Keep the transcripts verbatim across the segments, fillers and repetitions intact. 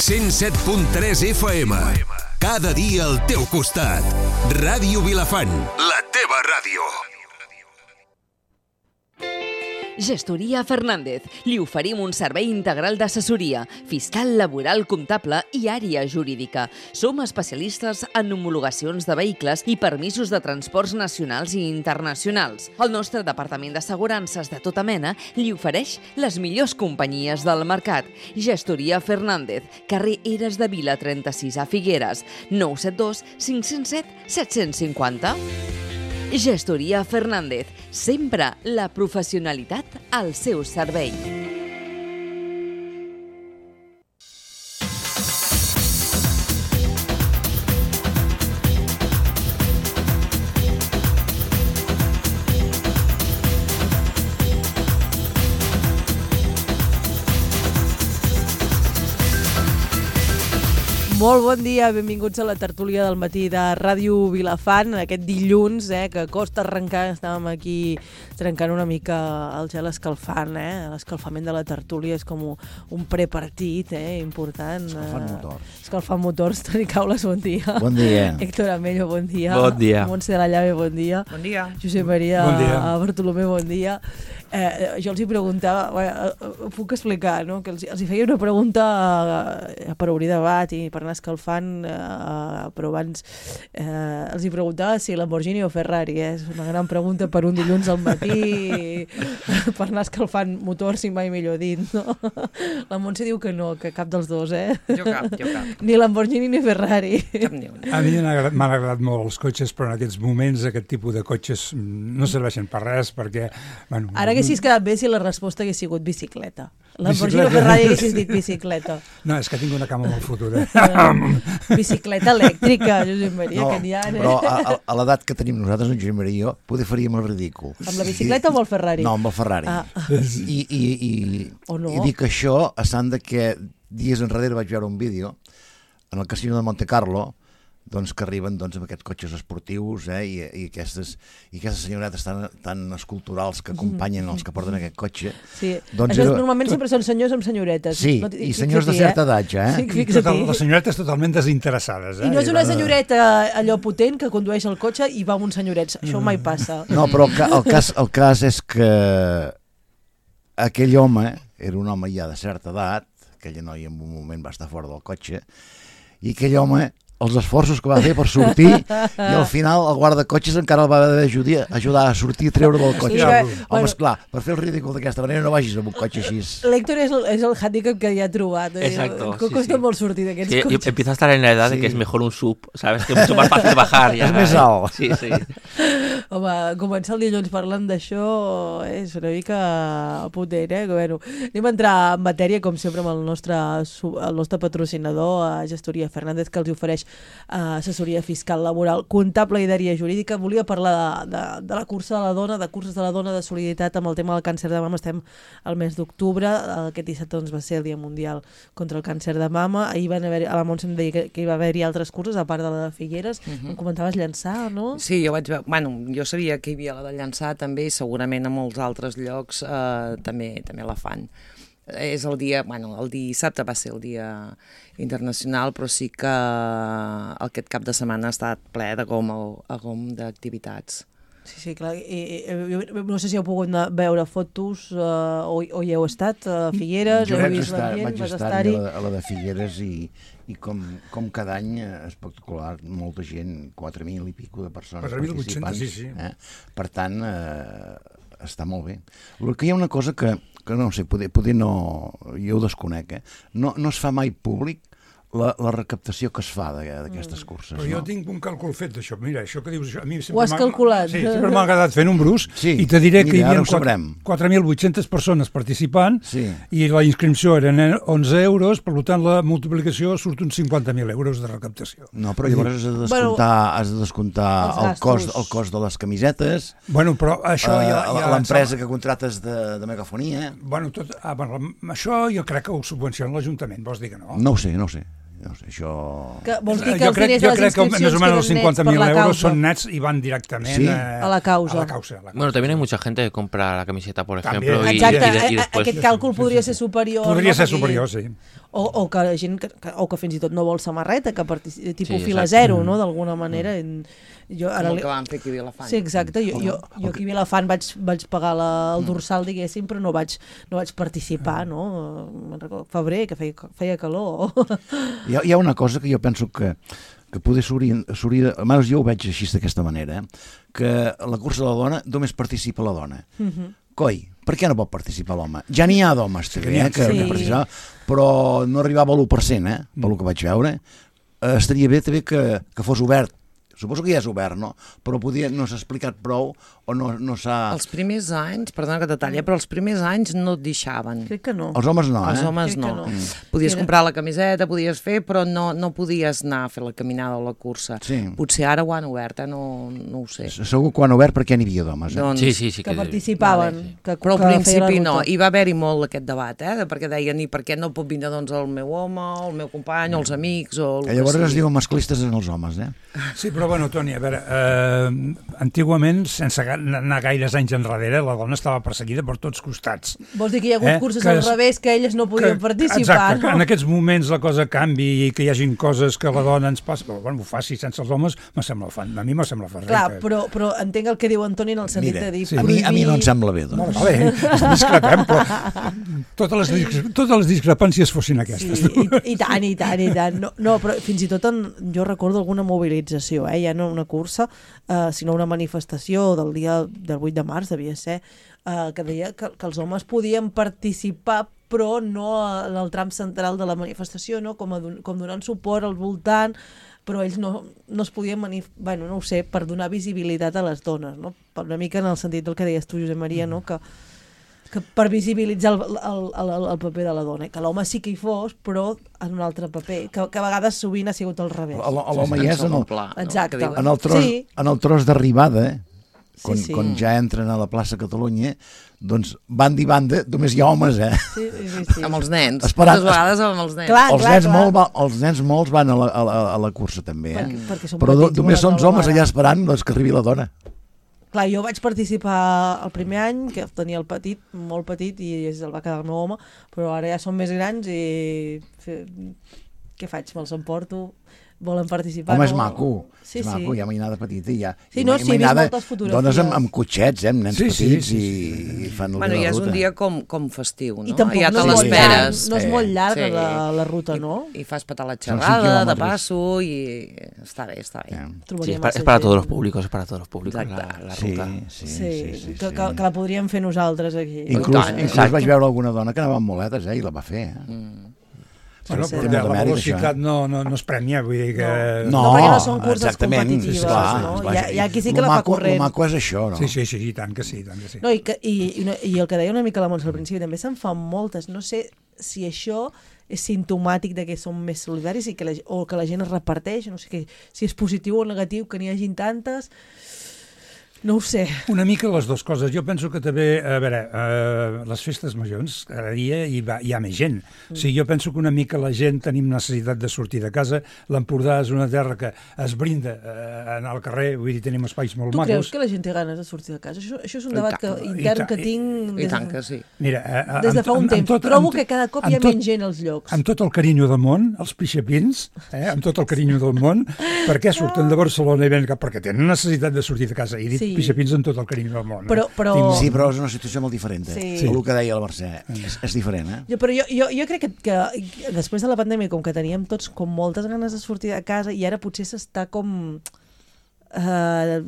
cent set punt tres F M. Cada dia al teu costat. Ràdio Vilafant, la teva ràdio. Gestoria Fernández. Li oferim un servei integral d'assessoria, fiscal, laboral, comptable i àrea jurídica. Som especialistes en homologacions de vehicles i permisos de transports nacionals i internacionals. El nostre departament d'assegurances de tota mena li ofereix les millors companyies del mercat. Gestoria Fernández, carrer Eres de Vila trenta-sis a Figueres, nou set dos cinc zero set set cinc zero. Gestoria Fernández, sempre la professionalitat al seu servei. Molt bon dia, benvinguts a la tertúlia del matí de Ràdio Vilafant, aquest dilluns, eh, que costa arrencar, estàvem aquí trencant una mica el gel escalfant, eh? L'escalfament de la tertúlia és com un prepartit, eh, important. Escalfant motors. Escalfant motors. Toni Caules, bon dia. Bon dia. Héctor Amello, bon dia. Bon dia. Montse de la Llave, bon dia. Bon dia. Josep Maria bon dia. Bartolomé, bon dia. Eh, jo els hi preguntava, bueno, puc explicar, no? Que els, els hi feia una pregunta eh, per obrir debat i per anar escalfant, eh, però abans eh, els hi preguntava si Lamborghini o Ferrari, eh? És una gran pregunta per un dilluns al matí per anar escalfant motors, si mai millor dit, no? La Montse diu que no, que cap dels dos, eh? Jo cap, jo cap. Ni Lamborghini ni Ferrari. Cap ni una. A mi m'han agradat, m'han agradat molt els cotxes, però en aquests moments aquest tipus de cotxes no serveixen per res, perquè... Bueno, Ara haguessis quedat bé si la resposta hagués sigut bicicleta. Lamborghini o Ferrari haguessis dit bicicleta. No, és que tinc una cama molt fotuda. Bicicleta elèctrica, Josep Maria, No, que n'hi ha, eh? però a, a, a l'edat que tenim nosaltres, en Josep Maria i jo, poder faríem el ridícul. Amb la bicicleta o amb el Ferrari? No, amb el Ferrari. Ah. I, i, i, O no. I dic això a sant de que dies enrere vaig veure un vídeo en el casino de Monte Carlo, doncs que arriben doncs, amb aquests cotxes esportius, eh, i, i, aquestes, i aquestes senyoretes tan, tan esculturals que acompanyen els que porten aquest cotxe. Sí. Doncs Això era... normalment sempre són senyors amb senyoretes. Sí, no, i senyors de certa edat ja, eh? Sí, I fixa't. total, les senyoretes totalment desinteressades. Eh? I no és una senyoreta allò potent que condueix el cotxe i va amb uns senyorets. Això mai passa. No, però el, ca el, cas, el cas és que aquell home era un home ja de certa edat, aquella noia en un moment va estar fora del cotxe, i aquell home, els esforços que va fer per sortir, i al final el guardacotxes encara el va haver d'ajudar ajudar a sortir i treure del cotxe. Sí, que- Home, bueno. esclar, per fer el ridícul d'aquesta manera no vagis amb un cotxe així. L'Héctor és el, és el handicap que ja ha trobat. Eh? Exacto, Que sí, costa sí. molt sortir d'aquests Sí, cotxes. empieza a estar en la edad Sí. de que es mejor un sub, ¿sabes? Que es mucho más fácil bajar. Ya, Es més ¿eh? alt. Sí, sí. Home, començar el dilluns parlant d'això és una mica potent, eh? Que, bueno, anem a entrar en matèria, com sempre, amb el nostre, su- el nostre patrocinador, a Gestoria Fernández, que els ofereix eh, assessoria fiscal, laboral, comptable i d'àrea jurídica. Volia parlar de, de, de la cursa de la dona, de curses de la dona, de solidaritat amb el tema del càncer de mama. Estem al mes d'octubre, aquest dissabte doncs, va ser el Dia Mundial contra el Càncer de Mama. Ahir van haver, a la Montse em deia que, que hi va haver-hi altres curses, a part de la de Figueres. Mhm. Em comentaves llançar, no? Sí, jo vaig veure... Bueno, jo sabia que hi havia la de Llançà també, i segurament a molts altres llocs eh, també també la fan. És el dia... Bueno, el dissabte va ser el dia internacional, però sí que aquest cap de setmana ha estat ple de gom, a gom d'activitats. Sí, sí, clar. I, i, jo no sé si heu pogut anar a veure fotos uh, o, o hi heu estat a Figueres, Jo heu vaig vist estar, l'ambient, vaig vas estar a estar-hi. la, a la de Figueres i, i com, com cada any eh, espectacular, molta gent, quatre mil i pico de persones quatre mil vuit-cents, participants. sí, sí. Eh? Per tant, eh, està molt bé. El que hi ha una cosa que, que no sé, poder, poder no, jo ho desconec, eh? no, no es fa mai públic la, la recaptació que es fa d'aquestes Mm. curses. Però jo no? tinc un càlcul fet d'això. Mira, això que dius... A mi Ho has m'ha- calculat? Sí, sempre m'ha agradat fer números, Sí, i te diré que hi mira, ara havia ho sabrem. quatre mil vuit-cents persones participant, Sí. i la inscripció eren onze euros, per tant la multiplicació surt uns cinquanta mil euros de recaptació. No, però llavors has de descomptar, Bueno, has de descomptar els el, cost, gastos. el cost de les camisetes, Bueno, però això eh, ja... ja l'empresa que contractes de, de megafonia. Bueno, tot, ah, bueno, això jo crec que ho subvenciona l'Ajuntament, vols dir que no? No ho sé, no ho sé. No ho sé, això... Que vols dir que jo els crec, diners jo de les crec que més inscripcions o menys els queden nets cinquanta per mil la euros causa? són nets i van directament Sí. eh, A la causa. A la causa, a la causa. Bueno, también hay mucha gente que compra la camiseta, por También. ejemplo, y, Exacte, y de- y eh, después... aquest càlcul podria ser superior. Podria no? ser Perquè- superior, sí. o, o que la gent, que, que, o que fins i tot no vol samarreta, que participa, tipus Sí, fila exacte. zero, no?, d'alguna manera. Jo, Com el que vam fer aquí a Vilafant. Sí, exacte. Jo, jo, jo aquí a Vilafant vaig, vaig pagar la, el dorsal, diguéssim, però no vaig, no vaig participar, no? Me'n recordo, febrer, que feia, feia calor. Hi ha, hi ha una cosa que jo penso que, que poder s'hauria... Almenys jo ho veig així d'aquesta manera, eh? Que a la cursa de la dona només participa la dona. Mhm. Coi, per què no pot participar l'home? Ja n'hi ha d'homes, també, eh, que Sí. participava, però no arribava a l'u per cent, eh, pel que vaig veure. Eh, estaria bé també que, que fos obert. Suposo que ja és obert, no? Però podia, no s'ha explicat prou o no, no s'ha... Els primers anys, perdona que t'atalli, però els primers anys no et deixaven. Crec que no. Els homes no, eh? Els homes Crec que no. no. Mm. Podies Era- comprar la camiseta, podies fer, però no, no podies anar a fer la caminada o la cursa. Sí. Potser ara ho han obert, eh? no, no ho sé. Segur que ho han obert perquè n'hi havia d'homes, eh? Doncs, Sí, sí, sí. Que participaven. Vale, sí. Que, Però al que feia la principi ruta. no, hi va haver-hi molt aquest debat, eh? de perquè deien, i per què no pot vindre doncs, el meu home, o el meu company, o els amics, o el Que llavors que es sigui. diuen masclistes en els homes, eh? Sí, però bueno, Toni, a veure, eh, antigament, sense ga- anar gaires anys enrere, la dona estava perseguida per tots costats. Vols dir que hi ha hagut Eh? curses Que al es- revés que elles no podien participar, exacte, que no? en aquests moments la cosa canvi i que hi hagin coses que la dona ens passa, però bueno, ho faci sense els homes, me sembla fan, a mi me sembla fer Clar, però, però entenc el que diu Antoni en el sentit Mira, de dir... sí. a, mi, a mi no em sembla bé, Molt doncs. bé, discrepem, però totes les, dis- totes les discrepàncies fossin aquestes. Sí, i, i tant, i tant, i tant. No, no, però fins i tot en, jo recordo alguna mobilització, eh? Ja no una cursa, eh, sinó una manifestació del dia del vuit de març, devia ser, eh, que deia que, que els homes podien participar però no en el tram central de la manifestació, no? com, a, don- com donant suport al voltant, però ells no, no es podien manif... bueno, no ho sé, per donar visibilitat a les dones, no? Una mica en el sentit del que deies tu, Josep Maria, no? que, que per visibilitzar el, el, el, el paper de la dona, que l'home sí que hi fos, però en un altre paper, que, que a vegades sovint ha sigut al revés. L'home ja és en el, pla, no? Exacte. Que diuen. en el tros, Sí. en el tros d'arribada, eh? Quan, Sí, sí. quan ja entren a la plaça Catalunya, doncs banda i banda només hi ha homes, eh? Sí, sí, sí, sí. Amb els nens, Esperant- moltes vegades amb els nens. Clar, els, clar, nens clar. molt, va- els nens molts van a la, a la, a la cursa també, eh? Perquè- perquè són Però do, petits, només volen són una homes vegada. allà esperant doncs, que arribi la dona. Clar, jo vaig participar el primer any, que tenia el petit, molt petit, i el va quedar el meu home, però ara ja són més grans i... Fe... Què faig? Me'ls emporto? Volen participar? Home, és no? maco. Sí, és maco, sí. hi ha mainada petita i hi ha... Sí, i no, ma- sí, he vist mainada moltes fotografies. Dones amb, amb cotxets, eh? Amb nens Sí, sí, petits sí, i, i fan Bueno, la ja és ruta. un dia com, com festiu, no? I tampoc ja no, te és molt l'esperes. llarg, no és molt llarga Sí. la, la ruta, no? I, I fas petar la Són cinc xerrada, de quilòmetres. passo, i està bé, està bé. Eh. Sí, Trobaria es para, massa es para gent. todos los públicos, es para todos los públicos la, Exacte. la Sí, ruta. sí, Sí, sí, sí, que, sí. que, que la podríem fer nosaltres aquí. Inclús, tant, inclús exacte. vaig veure alguna dona que anava amb muletes, eh? I la va fer, eh? Mm. Bueno, sí, però sí. la Molt de mèrit, velocitat això, no, no, no es premia, vull dir que... No, perquè no són curses exactament, competitives, esclar, no? vaja, Hi ha- hi ha qui sí lo que la fa maco- corrent. Lo maco és això, no? Sí, sí, sí, i tant que sí, i tant que sí. No, i, que, i, i, una- I el que deia una mica la Montse al principi, també se'n fan moltes. No sé si això és simptomàtic de que som més solidaris i que la, o que la gent es reparteix, no sé que, si és positiu o negatiu que n'hi hagin tantes. No ho sé. Una mica les dues coses. Jo penso que també, a veure, eh, les festes majors, cada dia hi, va, hi ha més gent. Mm. O sigui, jo penso que una mica la gent tenim necessitat de sortir de casa. L'Empordà és una terra que es brinda eh, anar al carrer, vull dir, tenim espais molt Tu macos. creus que la gent té ganes de sortir de casa? Això, això és un I debat que, tant, i intern tant, que tinc I des, tant que sí. Mira, eh, des de amb- fa un amb- amb temps. tot- Trobo amb- que cada cop hi ha amb tot- menys gent als llocs. Amb tot el carinyo del món, els pixapins, eh, amb tot el carinyo del món, per què surten de Barcelona i venen cap? Perquè tenen necessitat de sortir de casa. I he dit Sí. pixapins amb tot el carinyo del món. Però- eh? però- Tinc molt- Sí, però és una situació molt diferent, eh? Sí. Sí. El que deia la Mercè, és, és diferent, eh? Jo, però jo, jo, jo crec que, que després de la pandèmia, com que teníem tots com moltes ganes de sortir de casa, i ara potser s'està com eh,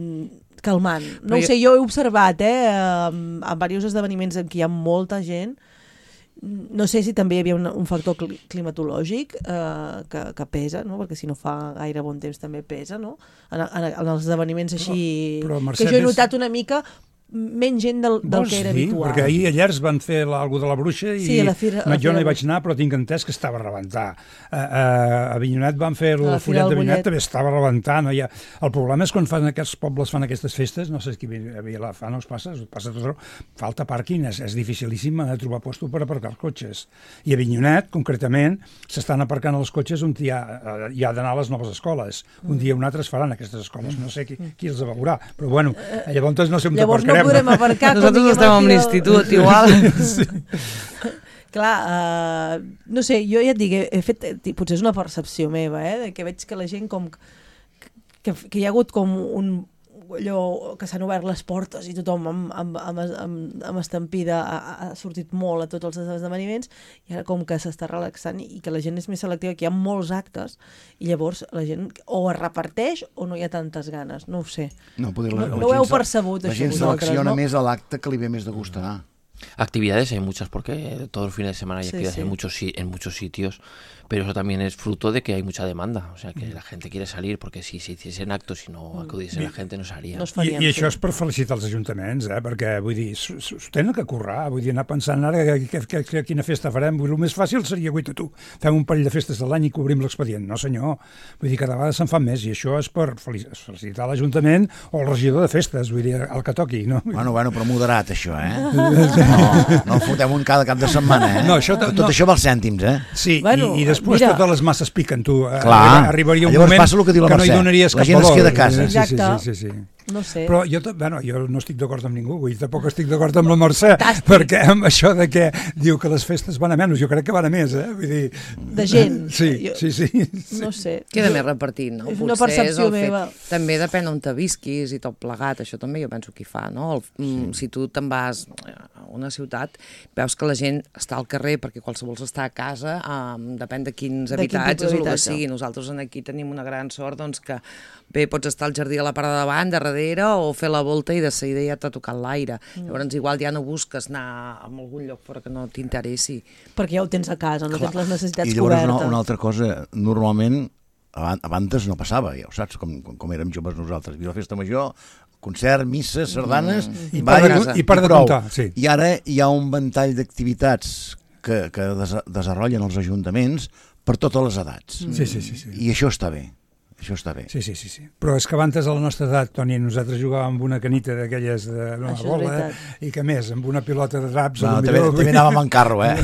calmant. No Però ho jo- sé, jo he observat, eh, en, en diversos esdeveniments en què hi ha molta gent. No sé si també hi havia un, un factor cli climatològic eh, que, que pesa, no? Perquè si no fa gaire bon temps també pesa, no? En, en, en els esdeveniments així... Però, però, Mercè, que jo he ves- notat una mica menys gent del, del Vols que era dir? habitual. Perquè ahir a Llers van fer algú de la bruixa i Sí, a la fira- a la no, jo no hi fira- vaig anar, però tinc entès que estava a rebentar. A, a, a Avinyonet van fer A la el Fira follet del d'Avinyonet, Bollet. també estava a rebentar. No hi ha... El problema és quan fan aquests pobles fan aquestes festes, no sé si a Vilafant us passa, us passa tot arreu, falta pàrquing, és, és dificilíssim de trobar lloc per aparcar cotxes. I a Avinyonet, concretament, s'estan aparcant els cotxes on hi ha, eh, hi ha d'anar a les noves escoles. Un dia o un altre es faran aquestes escoles, no sé qui, qui els veurà, però bueno, llavors no sé on Llavors no t'aparcarem. podrem aparcar. Nosaltres quan estem vinguem amb aquí al- l'institut, igual. clar, uh, no sé, jo ja et dic, he, he fet, potser és una percepció meva, eh, que veig que la gent com que, que hi ha hagut com un allò que s'han obert les portes i tothom amb, amb, amb, amb, amb estampida ha, ha sortit molt a tots els esdeveniments i ara com que s'està relaxant i que la gent és més selectiva, que hi ha molts actes i llavors la gent o es reparteix o no hi ha tantes ganes, no ho sé. No, poder, la, no, la no ho heu se- percebut, La això, gent vosaltres, selecciona no? més a l'acte que li ve més de gust anar. Actividades hay muchas porque todos los fines de semana hay Sí, actividades sí. En, muchos, si- en muchos sitios, pero eso también es fruto de que hay mucha demanda, o sea que la gente quiere salir porque si se hiciesen actos y no acudiese la gente no se haría. No es I, farien, I sí. això és per felicitar els ajuntaments, eh? Perquè, vull dir, s'ho s'ho tenen que currar, vull dir, anar pensant ara que, que, que, que quina festa farem. Vull dir, el més fàcil seria, guaita, tu, fem un parell de festes de l'any i cobrim l'expedient. No, senyor. Vull dir, cada vegada se'n fan més i això és per felicitar l'Ajuntament o el regidor de festes, vull dir, el que toqui, no? Bueno, bueno, però moderat, això, eh? No, no el fotem un cada cap de setmana, eh? No, això Que no- tot això val cèntims, eh? Sí, Bueno, i, i després mira. totes les masses piquen, tu. Eh, Clar. Arribaria un Llavors moment passa el que diu la no hi Mercè. donaries La cap gent es valor. queda a casa. Sí, sí, Exacte. sí, sí, sí. No sé. Però jo, ta- bueno, jo no estic d'acord amb ningú, vull dir, tampoc estic d'acord amb la Mercè, Fantàstic. perquè amb això de que diu que les festes van a menys, jo crec que van a més, eh? Vull dir... De gent. Sí, Jo- sí, sí. No sé. Queda Jo- més repartit, no? és una Potser percepció el fet- meva. També depèn on te visquis i tot plegat, això també jo penso que hi fa, no? El, sí. Si tu te'n vas a una ciutat, veus que la gent està al carrer perquè qualsevol està a casa, um, depèn de quins De quin tipus habitatges o el que d'habitatge. sigui. Nosaltres aquí tenim una gran sort doncs, que bé, pots estar al jardí a la part de davant, de darrere, o fer la volta i de seguida ja t'ha tocat l'aire. Mm. Llavors igual ja no busques anar a algun lloc fora que no t'interessi. Perquè ja ho tens a casa, no Clar. tens les necessitats I llavors una, cobertes. una altra cosa, normalment aban- abans no passava, ja ho saps, com, com, com érem joves nosaltres. Hi havia la festa major, concert, misses, sardanes... I ball, per de- i per de prou. comptar, sí. I ara hi ha un ventall d'activitats que, que des, desenvolupen els ajuntaments per totes les edats. Sí, sí, sí, sí. I això està bé. Això està bé. Sí, sí, sí, sí. Però és que abans a la nostra edat, Toni, nosaltres jugàvem amb una canita d'aquelles de una Això és bola veritat. i que més, amb una pilota de draps. No, a lo també, millor, també anàvem en carro, eh?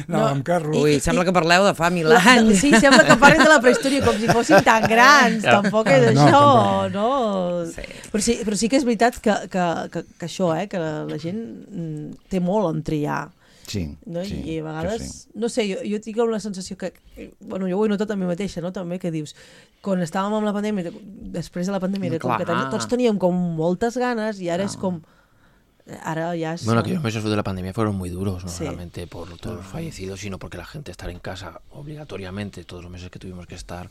Anàvem amb carro. Ui, sembla que parleu de fa mil La, anys. sí, sembla que parlin de la prehistòria com si fossin tan grans, tampoc és No, això, tampoc. no? Sí. Però, sí, però sí que és veritat que, que, que, que això, eh, que la, la gent mm, té molt en triar. Sí, No? sí, I a vegades, sí. no sé, jo, jo tinc la sensació que, que, bueno, jo ho he notat a mi mateixa, no? També que dius, quan estàvem amb la pandèmia, després de la pandèmia, era com Clar. que teni, tots teníem com moltes ganes i ara és com, ara ja és... Bueno, aquellos meses de la pandemia fueron muy duros, no Sí. solamente por todos los fallecidos, sino porque la gente estar en casa obligatoriamente, todos los meses que tuvimos que estar,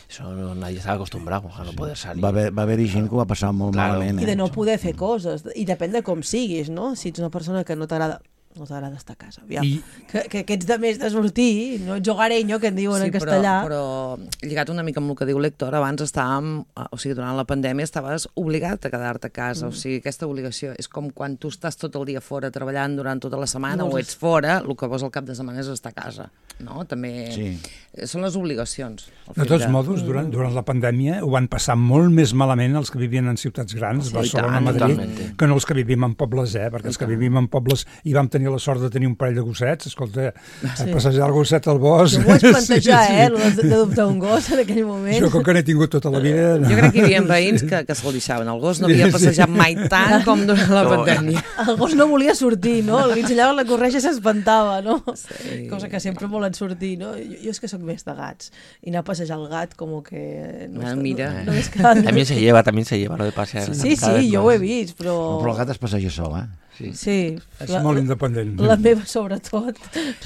eso no- nadie estaba acostumbrado a no poder salir. Va haver, va haver-hi gent que ho va passar molt Claro. malament. I Eh? de no poder fer coses, i depèn de com siguis, no? Si ets una persona que no t'agrada no t'agrada estar a casa, aviam. I- Que, que, que ets de més de sortir, no ets hogareño, que en diuen en castellà. Però, però lligat una mica amb el que diu l'Héctor, abans estàvem, eh, o sigui, durant la pandèmia estaves obligat a quedar-te a casa, mm. o sigui, aquesta obligació és com quan tu estàs tot el dia fora treballant durant tota la setmana No, o és- ets fora, el que vols al cap de setmana és estar a casa, no? També Sí. eh, són les obligacions. el De fet tots modos, durant, durant la pandèmia ho van passar molt més malament els que vivien en ciutats grans, Sí, Barcelona, i tant, Madrid, totalment. que no els que vivim en pobles, eh? Perquè els que vivim en pobles i vam tenir la sort de tenir un parell de gossets, escolta, Sí. passejar el gosset al bosc... Jo m'ho vaig plantejar, Sí, sí. eh, lo de- d'adoptar un gos en aquell moment. Jo, com que n'he tingut tota la vida... No. Jo crec que hi havia veïns que, que se'l deixaven. El gos no havia passejat mai tant com durant la pandèmia. El gos no volia sortir, no? Li ensenyaven la corretja i s'espantava, no? Sí. Cosa que sempre volen sortir, no? Jo, jo és que sóc més de gats. I anar a passejar el gat com que... No, Ah, està- mira. No, no és que... También se lleva, también se lleva lo de pasear. Sí, cada vez sí, jo más. ho he vist, però... Però el gat es passeja sol, eh? Sí. Sí. És molt independent. La meva, sobretot,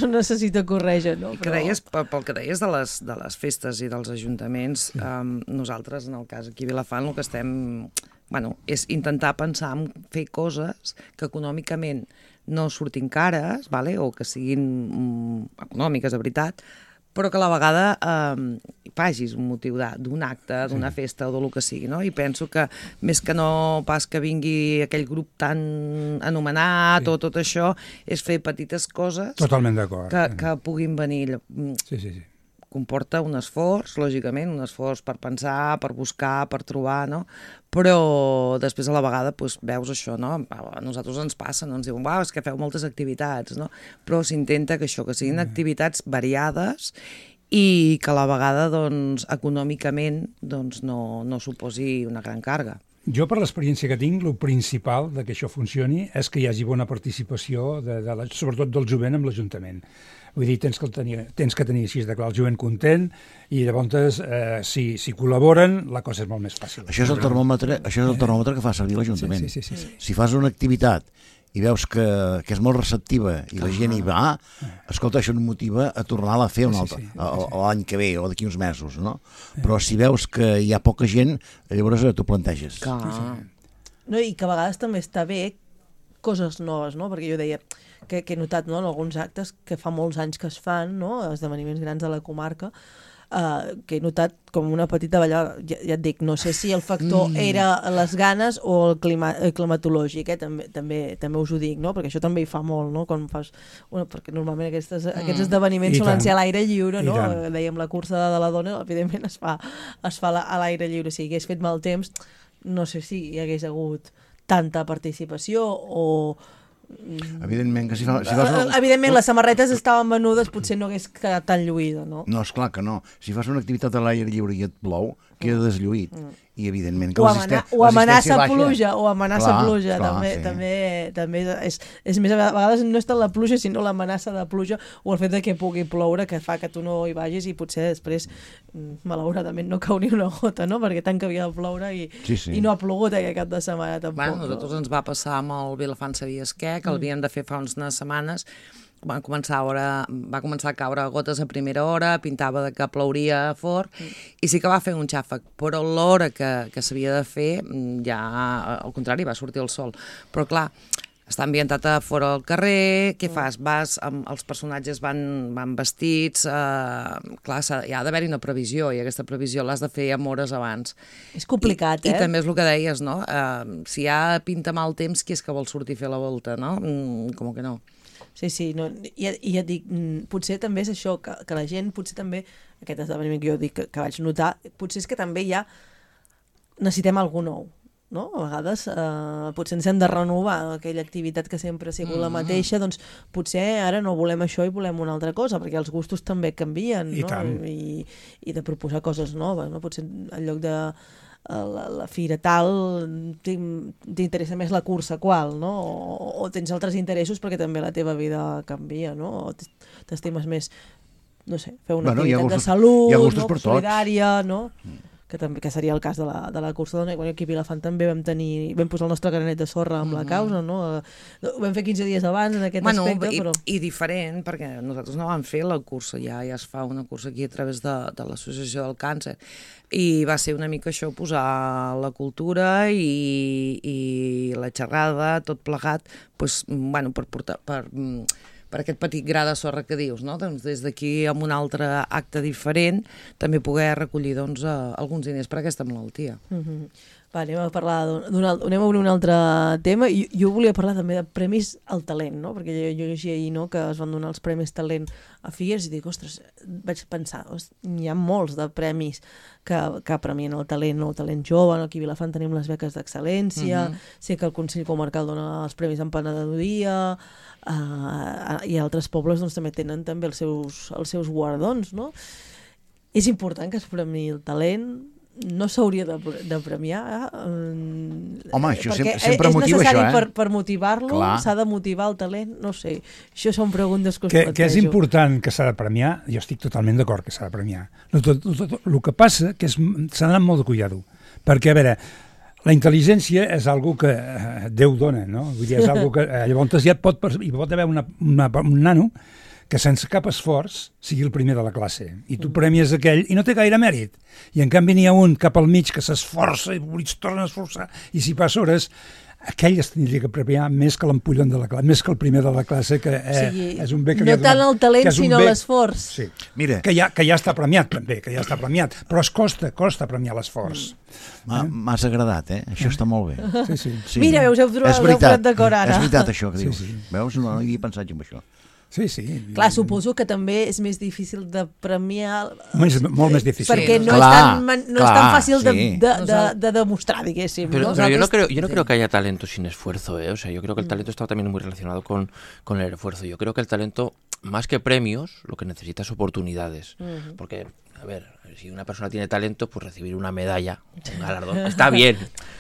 no necessita corretja, no? I que deies, pel, pel que deies de les, de les festes i dels ajuntaments, um, nosaltres, en el cas aquí a Vilafant, el que estem... Bueno, és intentar pensar en fer coses que econòmicament no surtin cares, vale? O que siguin mm, econòmiques, de veritat, però que a la vegada eh, facis un motiu de- d'un acte, d'una festa o del que sigui, no? I penso que més que no pas que vingui aquell grup tan anomenat Sí. o tot això, és fer petites coses Totalment d'acord. que, que puguin venir. Sí, sí, sí. Comporta un esforç, lògicament, un esforç per pensar, per buscar, per trobar, no? Però després a la vegada doncs, veus això, no? A nosaltres ens passa, no? Ens diuen, uau, és que feu moltes activitats, no? Però s'intenta que això, que siguin activitats variades i que a la vegada, doncs, econòmicament, doncs, no, no suposi una gran càrrega. Jo, per l'experiència que tinc, el principal de que això funcioni és que hi hagi bona participació, de, de la, sobretot del jovent, amb l'Ajuntament. Vull dir, tens que tenir, tens que tenir així de clar el jovent content i llavors, eh, si, si col·laboren, la cosa és molt més fàcil. Això és el termòmetre, això és el termòmetre que fa servir l'Ajuntament. Sí, sí, sí, sí, sí. Si fas una activitat i veus que, que és molt receptiva i la gent hi va, escolta, això et motiva a tornar-la a fer un altre, sí, sí, sí, sí. l'any que ve o d'aquí uns mesos, no? Però si veus que hi ha poca gent, llavors t'ho planteges. Clar. No, i que a vegades també està bé coses noves, no? Perquè jo deia que, que he notat, no, en alguns actes que fa molts anys que es fan, no? Esdeveniments grans de la comarca, Uh, que he notat com una petita ballada, ja, ja et dic, no sé si el factor mm. era les ganes o el, clima, el climatològic, eh? també, també, també us ho dic, no? Perquè això també hi fa molt, no? Quan fas una, perquè normalment aquestes, mm. aquests esdeveniments solen ser a l'aire lliure, no? Dèiem la cursa de la dona, evidentment es fa, es fa a l'aire lliure, si hagués fet mal temps, no sé si hi hagués hagut tanta participació o... Evidentment que si, fa, si fas una... Evidentment les samarretes estaven venudes, potser no hagués quedat tan lluïda, no? No, esclar que no. Si fas una activitat a l'aire lliure i et plou, queda deslluït. Mm. I evidentment que o, amana o amenaça pluja, o amenaça clar, pluja, clar, també, sí. també, també és, és més, a vegades no és tant la pluja, sinó l'amenaça de pluja o el fet de que pugui ploure, que fa que tu no hi vagis i potser després, malauradament, no cau ni una gota, no? Perquè tant que havia de ploure i, sí, sí. i no ha plogut aquest cap de setmana tampoc. Bueno, a nosaltres no? ens va passar amb el Vilafant Sabies què, que l'havíem de fer fa unes setmanes. Va començar, a hora, va començar a caure gotes a primera hora, pintava de que plouria fort, mm. i sí que va fer un xàfec, però l'hora que, que s'havia de fer ja, al contrari, va sortir el sol. Però clar, està ambientat a fora al carrer, què fas? Vas, amb, els personatges van, van vestits, eh, clar, hi ha d'haver-hi una previsió, i aquesta previsió l'has de fer amb hores abans. És complicat, I, eh? I també és el que deies, no? Eh, si ja pinta mal temps, qui és que vol sortir a fer la volta, no? Mm, com que no. Sí, sí, no, i, i ja et dic, potser també és això, que, que la gent, potser també, aquest esdeveniment que jo dic que, que vaig notar, potser és que també ja necessitem algú nou, no? A vegades eh, potser ens hem de renovar aquella activitat que sempre ha sigut mm. la mateixa, doncs potser ara no volem això i volem una altra cosa, perquè els gustos també canvien, I no? tant. I, i de proposar coses noves, no? Potser en lloc de La, la fira tal t'interessa més la cursa qual, no? O, o tens altres interessos perquè també la teva vida canvia, no? O t'estimes més, no sé, fer una bueno, activitat gustos, de salut, no? Solidària, no? Mm. Que també que seria el cas de la, de la cursa dona. Quan aquí a Vilafant també vam tenir, vam posar el nostre granet de sorra amb mm -hmm. la causa, no? Ho vam fer quinze dies abans en aquest bueno, aspecte, i, però... i diferent, perquè nosaltres no vam fer la cursa, ja ja es fa una cursa aquí a través de, de l'Associació del Càncer, i va ser una mica això, posar la cultura i, i la xerrada, tot plegat, pues, bueno, per portar... Per, per aquest petit gra de sorra que dius, no? Doncs des d'aquí amb un altre acte diferent també poder recollir doncs, uh, alguns diners per aquesta malaltia. Mm-hmm. Va, anem a parlar d'un anem a obrir un altre tema. Jo, jo volia parlar també de premis al talent, no? Perquè jo, jo llegia ahir, no?, que es van donar els premis talent a Figueres i dic, ostres, vaig pensar, hi ha molts de premis que, que premien el talent, no? El talent jove, no? Aquí a Vilafant tenim les beques d'excel·lència, mm-hmm. sé que el Consell Comarcal dona els premis d'emprenedoria, Uh, i altres pobles doncs, també tenen també els seus, els seus guardons, no? És important que es premiï el talent, no s'hauria de, de premiar, eh? Home, això sempre, sempre motiva això, eh? És necessari per, per motivar-lo, s'ha de motivar el talent, no sé, això són preguntes que us que, plantejo. Que és important que s'ha de premiar, jo estic totalment d'acord que s'ha de premiar. El, tot, tot, tot, el que passa que s'ha d'anar molt de cuidado, perquè, a veure, la intel·ligència és algo que eh, Déu dona, no? Vull dir, és algo que eh, llavors ja pot, hi pot haver una, una, un nano que sense cap esforç sigui el primer de la classe, i tu premies aquell i no té gaire mèrit, i en canvi n'hi ha un cap al mig que s'esforça i es torna a esforçar, i si passa hores aquell es tindria que premiar més que l'empollon de la classe, més que el primer de la classe, que eh, sí, és un bé que no tant el talent, sinó l'esforç. Sí. Mira, que ja, que ja està premiat també, que ja està premiat, però es costa, costa premiar l'esforç. Mm. M'has eh? agradat, eh? Això està molt bé. Sí, sí. Sí. Mira, veus, heu trobat d'acord ara. És veritat això que dius. Sí, sí. Veus? No, no hi havia pensat en això. Sí, sí. Clar, suposo que també és més difícil de premiar... És molt més difícil. Perquè no, clar, és, tan, no clar, és tan fàcil de, sí. de, de, de demostrar, diguéssim. Pero, ¿no? pero yo no creo, yo no creo que haya talento sin esfuerzo, ¿eh? O sea, yo creo que el talento está también muy relacionado con, con el esfuerzo. Yo creo que el talento, más que premios, lo que necesita es oportunidades. Uh-huh. Porque a ver, si una persona tiene talento, pues recibir una medalla, un galardón, está bien,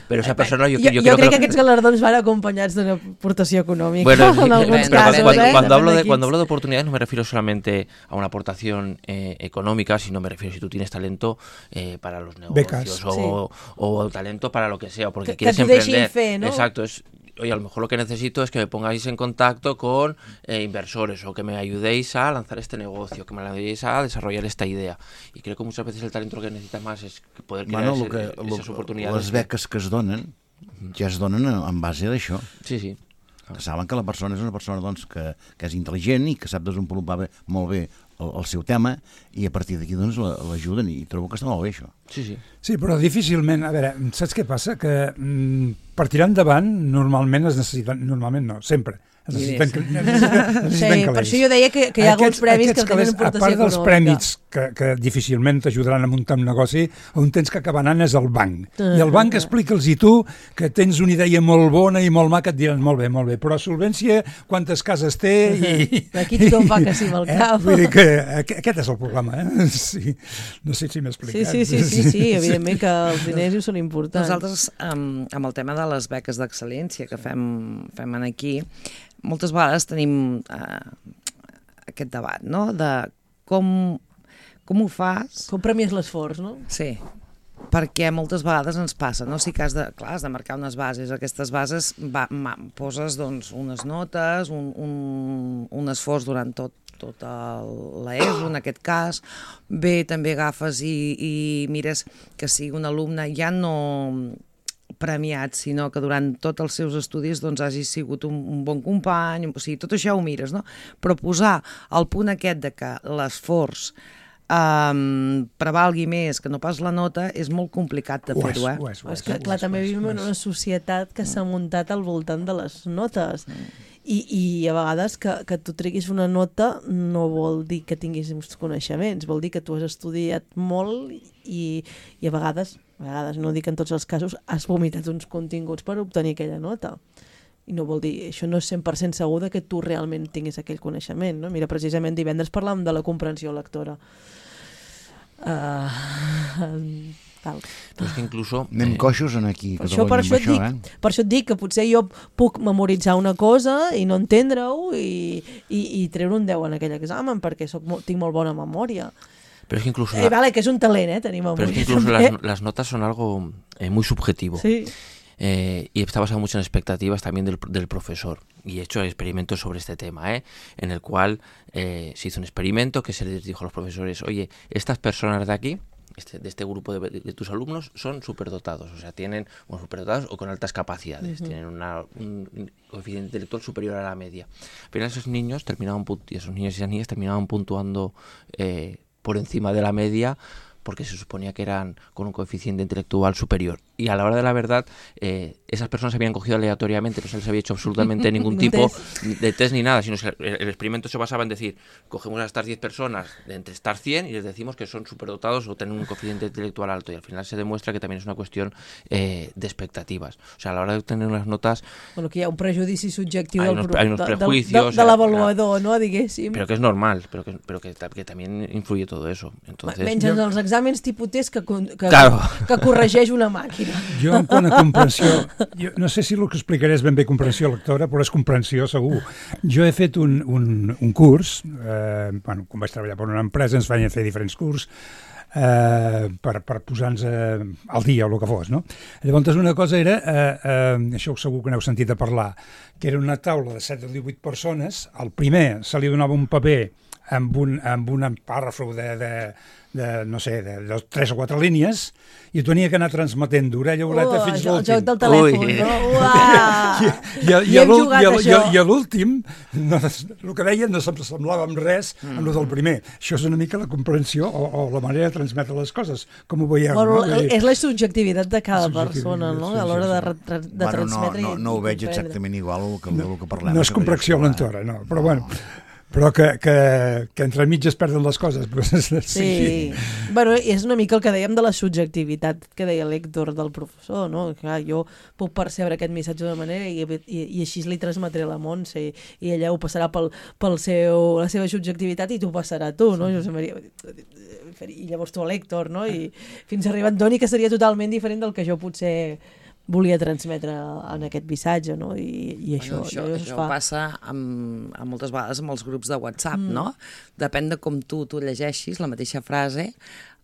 pero esa persona yo, Jo, yo, jo creo crec que que... aquests galardons van acompanyats d'una aportació econòmica, Bueno, en alguns pero casos, cuando, eh? cuando hablo de, Depèn cuando quins. hablo de oportunidades no me refiero solamente a una aportación eh, económica, sino me refiero si tú tienes talento eh, para los negocios Becas. o, o talento para lo que sea, porque Que- que quieres t'ho deixin emprender. fer, no? Exacto, es... Oye, a lo mejor lo que necesito es que me pongáis en contacto con eh, inversores o que me ayudéis a lanzar este negocio, que me ayudéis a desarrollar esta idea. Y creo que muchas veces el talento lo que necesitas más es poder crear Bueno, ese, lo que, esas lo, oportunidades. les beques que es donen ja es donen en base d'això, Sí, sí. que saben que la persona és una persona doncs, que, que és intel·ligent i que sap desenvolupar bé, molt bé el, el seu tema, i a partir d'aquí doncs, l'ajuden, i trobo que està molt bé això. Sí, sí. Sí, però difícilment, a veure, saps què passa? Que mm, per tirar endavant normalment es necessiten, normalment no, sempre, es necessiten, necessiten, necessiten Sí, per calés. això jo deia que, que hi ha alguns premis que tenen aportació a part dels econòmica. prèmits que, que difícilment t'ajudaran a muntar un negoci, on tens que acabar anant és el banc. I el banc explica'ls i tu que tens una idea molt bona i molt maca, et diran molt bé, molt bé, però solvència, quantes cases té i... Aquí tothom fa que sí amb el cap. Eh? Vull dir que aquest aquest és el problema, eh? Sí. No sé si m'he Sí, explicat. sí, sí, sí, sí, evidentment que els diners hi són importants. Nosaltres, amb, amb el tema de les beques d'excel·lència que fem, fem aquí, moltes vegades tenim eh, aquest debat, no?, de com, com ho fas... Com premies l'esforç, no? Sí, perquè moltes vegades ens passa, no? Sí que has de, clar, has de marcar unes bases, aquestes bases va, ma, poses doncs, unes notes, un, un, un esforç durant tot, tot l'ESO, en aquest cas. Bé, també agafes i, i mires que sigui un alumne ja no premiat, sinó que durant tots els seus estudis doncs, hagi sigut un, un bon company, o sigui, tot això ho mires, no? Però posar el punt aquest de que l'esforç um, prevalgui més que no pas la nota és molt complicat de Ho és, fer-ho, eh? ho és, ho és, És que, ho clar, és, també ho és, vivim ho en és. una societat que s'ha muntat al voltant de les notes. I, i a vegades que, que tu treguis una nota no vol dir que tinguis uns coneixements, vol dir que tu has estudiat molt i, i a vegades, a vegades, no dic en tots els casos, has vomitat uns continguts per obtenir aquella nota. I no vol dir, això no és cent per cent segur de que tu realment tinguis aquell coneixement, no? Mira, precisament divendres parlàvem de la comprensió lectora. Uh, tal. Pero es que incluso... Anem eh, coixos en aquí, Per això, Catalunya, per, amb això et això, dic, eh? per això et dic que potser jo puc memoritzar una cosa i no entendre-ho i, i, i treure un deu en aquell examen perquè soc, mo- tinc molt bona memòria. pero es que incluso... Eh, la- vale, que és un talent, eh, tenir pero memòria. es que incluso també. las, las notas son algo eh, muy subjetivo. Sí. Eh, y está basado mucho en expectativas también del, del profesor. Y he hecho experimentos sobre este tema, ¿eh? En el cual eh, se hizo un experimento que se les dijo a los profesores, oye, estas personas de aquí, este, de este grupo de, de, de tus alumnos, son superdotados, o sea, tienen, bueno, superdotados o con altas capacidades, Uh-huh. tienen una, un, un coeficiente intelectual superior a la media. Pero esos niños terminaban, punt- y esos niños y esas niñas terminaban puntuando eh, por encima de la media, porque se suponía que eran con un coeficiente intelectual superior. Y a la hora de la verdad, eh, esas personas se habían cogido aleatoriamente, no se les había hecho absolutamente ningún Un tipo test. de test ni nada, sino que el, el experimento se basaba en decir, cogemos a estas diez personas de entre estas cien y les decimos que son superdotados o tienen un coeficiente intelectual alto, y al final se demuestra que también es una cuestión eh, de expectativas. O sea, a la hora de obtener unas notas, Bueno, que hi ha un prejudici subjectiu Hay del, unos- pro- hay unos de, de, prejuicios, de, de eh, l'avaluador, no, diguéssim. pero que es normal, pero que, pero que, ta- que también influye todo eso. Entonces, Menys en els exàmens tipus test que, con- que, Claro. que corregeix una màquina. Jo, en quant a comprensió, jo no sé si el que explicaré és ben bé comprensió lectora, però és comprensió segur. Jo he fet un, un, un curs, eh, bueno, quan vaig treballar per una empresa ens feien fer diferents curs eh, per, per posar-nos eh, al dia o el que fos, no? Llavors una cosa era, eh, eh, això segur que n'heu sentit a parlar, que era una taula de set o divuit persones, al primer se li donava un paper amb un, amb un pàrrafo de, de, de, no sé, de, de tres o quatre línies, i tu tenia que anar transmetent d'orella a orella fins el l'últim. joc del telèfon, Ui. no? Uah! I, i, i, Hi a hem l'úl- jugat, i, a- i, a- això. i a l'últim, no, el que deien no se'm semblava amb res amb el del primer. Això és una mica la comprensió o, o la manera de transmetre les coses, com ho veieu. Bueno, no? Vull dir, és la subjectivitat de cada Subjectivitat, persona, no? sí, A l'hora sí, de, sí. re- de Bueno, no, transmetre no, i no ho veig comprendre. exactament igual el que, el que parlem. no és que comprensió jo, eh? lectora, no, però bueno. però que, que, que entre mig es perden les coses. Sí. sí. Bueno, és una mica el que dèiem de la subjectivitat que deia l'Héctor del professor, no? Clar, jo puc percebre aquest missatge d'una manera i, i, i així li transmetré a la Montse i, i ella ho passarà pel, pel seu, la seva subjectivitat i t'ho passarà a tu, no? Josep Maria, i llavors tu a l'Héctor, no? I fins a arribar a Antoni, que seria totalment diferent del que jo potser volia transmetre en aquest missatge, no? I, i això, bueno, això, això, això fa... passa amb, amb moltes vegades amb els grups de WhatsApp, mm. no? Depèn de com tu, tu llegeixis la mateixa frase,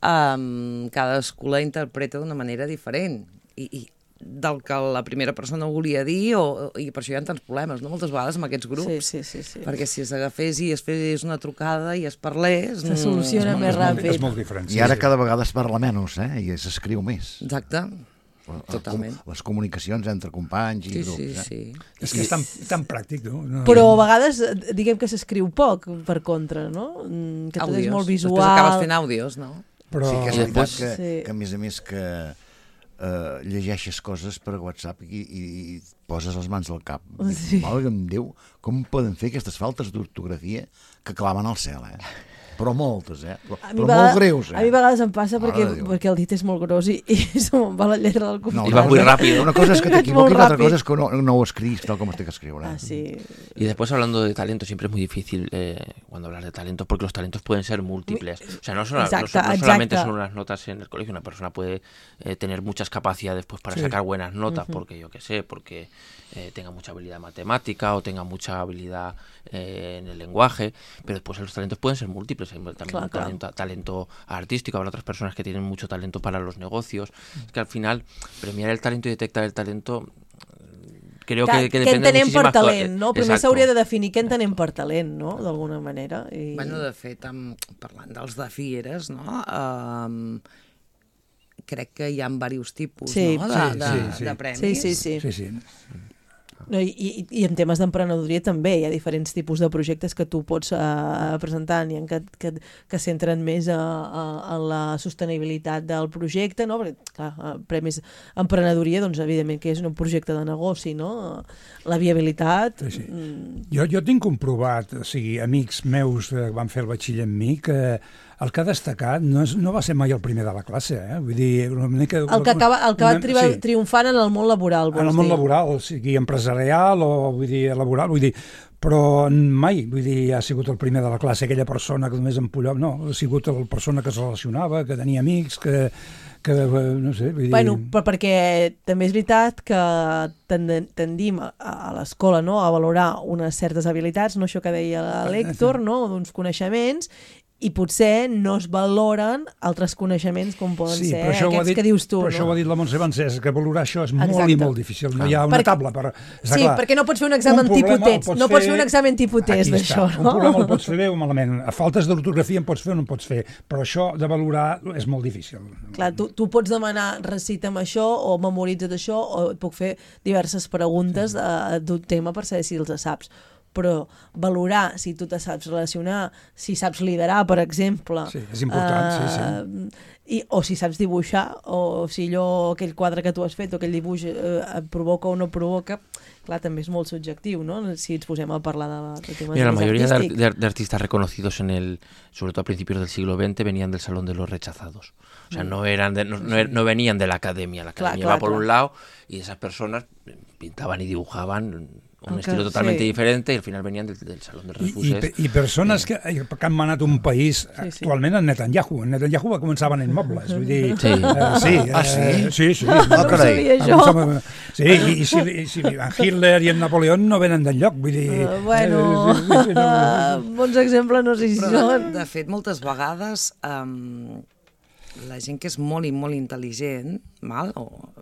um, cadascú la interpreta d'una manera diferent. I, i del que la primera persona volia dir, o, i per això hi ha tants problemes, no? Moltes vegades amb aquests grups. Sí, sí, sí, sí. Perquè si es agafés i es fes una trucada i es parlés... Se soluciona mm, més ràpid. És molt diferent. I ara cada vegada es parla menys, eh? I s'escriu més. Exacte. Totalment. Les comunicacions entre companys i sí, grups. Sí, eh? sí. És que és tan, tan pràctic, no? no Però a vegades, diguem que s'escriu poc, per contra, no? Que tot àudios. és molt visual. Després acabes fent àudios, no? Però... Sí que és veritat que, sí. que a més a més que uh, llegeixes coses per WhatsApp i, i, i poses les mans al cap. Sí. Valga'm Déu, com poden fer aquestes faltes d'ortografia que claven al cel, eh? Però moltes, eh? Però, però vegades, molt greus, eh? A mi a vegades em passa perquè, Mare de Déu. perquè el dit és molt gros i, i se me'n va la lletra del costat. No, I va muy rápido. Una cosa és que t'equivoquis, Molt l'altra ràpid. cosa és que no, no ho escribis tal com es té que escriure. Ah, sí. Y después hablando de talento, siempre es muy difícil eh, cuando hablas de talento, porque los talentos pueden ser múltiples. O sea, no, solo, Exacto, no, no solamente exacto. son unas notas en el colegio, una persona puede eh, tener muchas capacidades pues, para Sí. sacar buenas notas, Ujú. porque yo qué sé, porque eh, tenga mucha habilidad matemática o tenga mucha habilidad eh, en el lenguaje, pero después los talentos pueden ser múltiples. Hay también Claro, un claro. talento, talento artístico, habrá otras personas que tienen mucho talento para los negocios. Es que al final, premiar el talento y detectar el talento creo que, que què depende de entenem per muchísimas cosas. talent, no? Primer Exacto. s'hauria de definir què entenem per talent, no? D'alguna manera. I... Bueno, de fet, amb, parlant dels de Figueres, no? Um, crec que hi ha diversos tipus, Sí, no? De, sí, de, sí, sí. de premis. Sí, sí, sí. Sí, sí. No, i, i, I en temes d'emprenedoria també hi ha diferents tipus de projectes que tu pots uh, presentar, n'hi ha que, que, que centren més a, a, a la sostenibilitat del projecte, no? Perquè, clar, uh, premis emprenedoria, doncs evidentment que és un projecte de negoci, no? La viabilitat... Sí, sí. Mm, Jo, jo tinc comprovat, o sigui, amics meus que van fer el batxiller amb mi, que el que ha destacat no, és, no va ser mai el primer de la classe, eh? Vull dir, una mica... el que, acaba, el que va una- triba, sí. triomfant en el món laboral, vols En el món dir? laboral, o sigui, empresarial o vull dir, laboral, vull dir, però mai, vull dir, ha sigut el primer de la classe, aquella persona que només empollava, no, ha sigut la persona que es relacionava, que tenia amics, que, que no sé, vull dir... Bueno, però perquè també és veritat que tend- tendim a, a l'escola, no?, a valorar unes certes habilitats, no, això que deia l'Héctor, no?, d'uns coneixements, i potser no es valoren altres coneixements com poden Sí, ser però això ho ha aquests dit, que dius tu, però no? això ho ha dit la Montse Bancés, que valorar això és molt Exacte. i molt difícil. No hi ha una Perquè- taula per... Està Sí, clar, perquè no pots fer un examen un problema tipus el test, pots no pots fer un examen tipus test Aquí d'això, està. no? Un problema el pots fer bé o malament. A faltes d'ortografia en pots fer o no en pots fer, però això de valorar és molt difícil. Clar, tu, tu pots demanar recita'm això o memoritza't això o et puc fer diverses preguntes uh, d'un tema per saber si els saps. Però valorar si tu te saps relacionar, si saps liderar, per exemple... Sí, és important, sí, sí. I, o si saps dibuixar, o si allò, aquell quadre que tu has fet o aquell dibuix eh, et provoca o no provoca, clar, també és molt subjectiu, no? Si ens posem a parlar de, de temes Mira, la més mayoría de, artístics. ar- de- de artistas reconocidos en el, sobre todo a principios del siglo veinte, venían del Salón de los Rechazados. O sea, no eran, de- no, no er- no venían de la academia. La Clar, academia clar, va por clar. un lado y esas personas pintaban y dibujaban un Aunque- estilo totalmente sí. diferente y al final venían del, del Salón de I, i, Refuses. pe- I persones que, que han manat un país Sí, sí. actualment en Netanyahu. En Netanyahu va començar venent mobles. Vull dir, Sí. eh, sí, Ah, sí? eh, sí, sí. Ah, No ho carai. sabia Ah, jo. em sembla- Sí, i, i, si, i si en Hitler i en Napoleó no venen d'enlloc, vull dir... Uh, bueno, eh, sí, sí, no, bons exemples no sé si Però, són. de fet, moltes vegades um, la gent que és molt i molt intel·ligent, mal, o,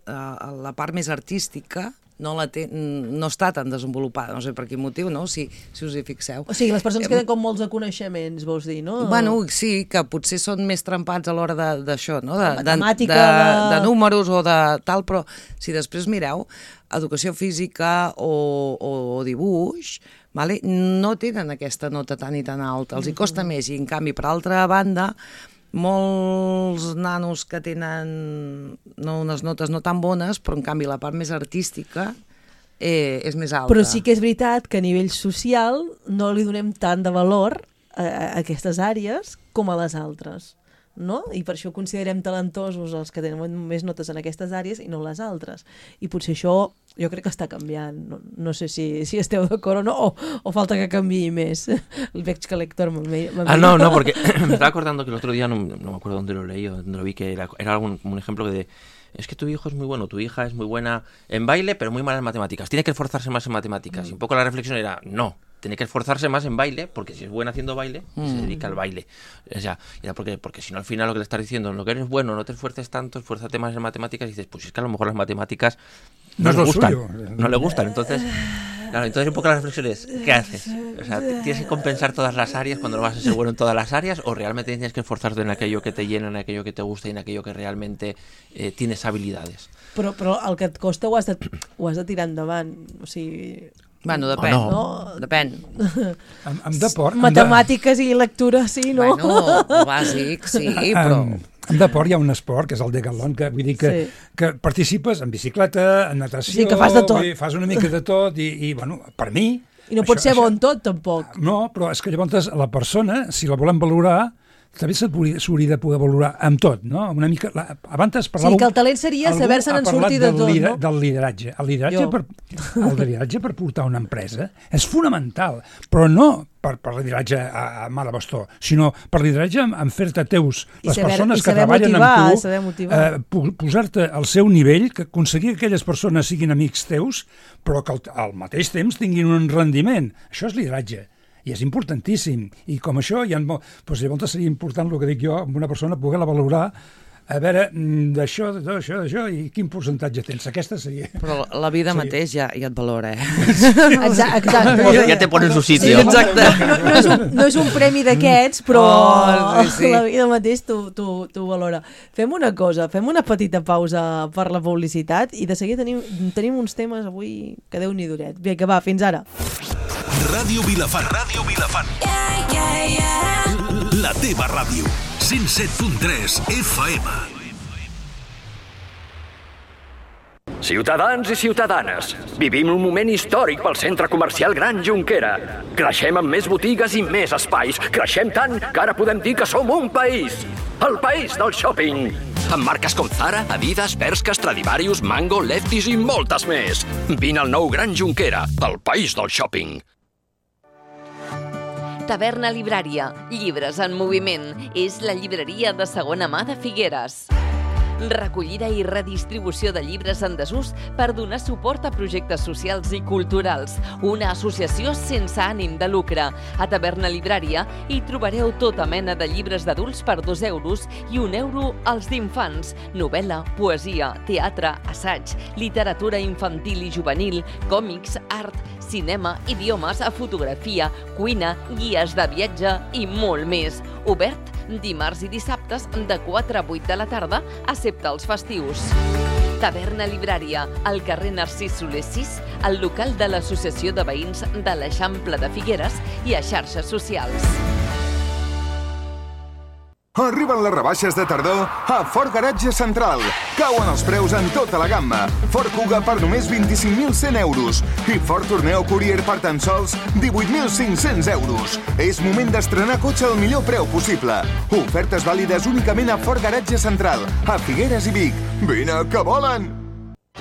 uh, la part més artística no, la té, no està tan desenvolupada, no sé per quin motiu, no? Si, si us hi fixeu. O sigui, les persones que tenen com molts de coneixements, vols dir, no? Bueno, sí, que potser són més trempats a l'hora de- d'això, no? De, de, Matemàtica, de, de- de números o de tal, però si després mireu, educació física o, o, o dibuix, vale? No tenen aquesta nota tan i tan alta, els hi costa més, i en canvi, per altra banda, molts nanos que tenen no, unes notes no tan bones, però en canvi la part més artística eh, és més alta. Però sí que és veritat que a nivell social no li donem tant de valor a, a aquestes àrees com a les altres, no? I per això considerem talentosos els que tenen més notes en aquestes àrees i no les altres. I potser això jo crec que està canviant. No, no sé si, si esteu d'acord o no, o, o falta que canviï més. Veig que l'Héctor me Ah, no, no, porque me estaba acordando que el otro día, no, no me acuerdo dónde lo leí o dónde lo vi, que era, era algún, un ejemplo de, es que tu hijo es muy bueno, tu hija es muy buena en baile, pero muy mala en matemáticas. Tiene que esforzarse más en matemáticas. Mm. Y un poco la reflexión era, no, tiene que esforzarse más en baile, porque si es buena haciendo baile, mm. se dedica al baile. O sea, era porque, porque si no al final lo que le estás diciendo, lo que eres bueno, no te esfuerces tanto, esfuérzate más en matemáticas, y dices, pues es que a lo mejor las matemáticas no, no le gustan, suyo. no le gustan, entonces... Claro, entonces un poco la reflexión es, ¿qué haces? O sea, ¿tienes que compensar todas las áreas cuando no vas a ser bueno en todas las áreas? ¿O realmente tienes que esforzarte en aquello que te llena, en aquello que te gusta y en aquello que realmente eh, tienes habilidades? Però, però el que et costa ho has de, ho has de tirar endavant. O sigui... Bueno, depèn. Oh, no. Depèn. Amb, amb deport... Matemàtiques de... i lectura, sí, no? Bueno, bàsic, sí, però... Um, en deport hi ha un esport, que és el decatlon, que vull dir que, sí. que participes en bicicleta, en natació... Sí, que fas de tot. Dir, fas una mica de tot, i, i bueno, per mi... I no pot ser bon tot, tampoc. No, però és que llavors la persona, si la volem valorar, també s'hauria de poder valorar amb tot, no? Una mica... La, abans parlàveu... Sí, que el talent seria saber-se'n en sortir de tot, lider, no? Del lideratge. El lideratge, per, el lideratge per portar una empresa és fonamental, però no per, per lideratge a, a mà de bastó, sinó per lideratge en, en fer-te teus, I les saber, persones que treballen motivar, amb tu, eh, posar-te al seu nivell, que aconseguir que aquelles persones siguin amics teus, però que al, al mateix temps tinguin un rendiment. Això és lideratge. I és importantíssim. I com això, ja, doncs llavors seria important el que dic jo, amb una persona poder-la valorar, a veure, d'això, d'això, d'això, i quin percentatge tens. Aquesta seria... Però la vida seria... mateix ja, ja et valora, eh? Exacte. exacte. Ja te pone en su sitio. Sí, exacte. No, no, és un, no és un premi d'aquests, però oh, sí, sí. la vida mateix t'ho valora. Fem una cosa, fem una petita pausa per la publicitat i de seguida tenim, tenim uns temes avui que Déu-n'hi duret. Bé, que va, fins ara. Ràdio Vilafant. Ràdio Vilafant. Yeah, yeah, yeah. La teva ràdio. cent set punt tres F M. Ciutadans i ciutadanes, vivim un moment històric pel centre comercial Gran Jonquera. Creixem amb més botigues i més espais. Creixem tant que ara podem dir que som un país. El país del shopping. Amb marques com Zara, Adidas, Bershka, Stradivarius, Mango, Lefties i moltes més. Vine al nou Gran Jonquera, el país del shopping. Taverna Librària, llibres en moviment. És la llibreria de segona mà de Figueres. Recollida i redistribució de llibres en desús per donar suport a projectes socials i culturals. Una associació sense ànim de lucre. A Taverna Librària hi trobareu tota mena de llibres d'adults per dos euros i un euro als d'infants. Novel·la, poesia, teatre, assaig, literatura infantil i juvenil, còmics, art, cinema, idiomes, fotografia, cuina, guies de viatge i molt més. Obert dimarts i dissabtes de quatre a vuit de la tarda, excepte els festius. Taverna Librària, al carrer Narcís Soler sis, al local de l'Associació de Veïns de l'Eixample de Figueres i a xarxes socials. Arriben les rebaixes de tardor a Ford Garatge Central. Cauen els preus en tota la gamma. Ford Kuga per només vint-i-cinc mil cent euros i Ford Tourneo Courier per tan sols divuit mil cinc-cents euros. És moment d'estrenar cotxe al millor preu possible. Ofertes vàlides únicament a Ford Garatge Central, a Figueres i Vic. Vine, que volen!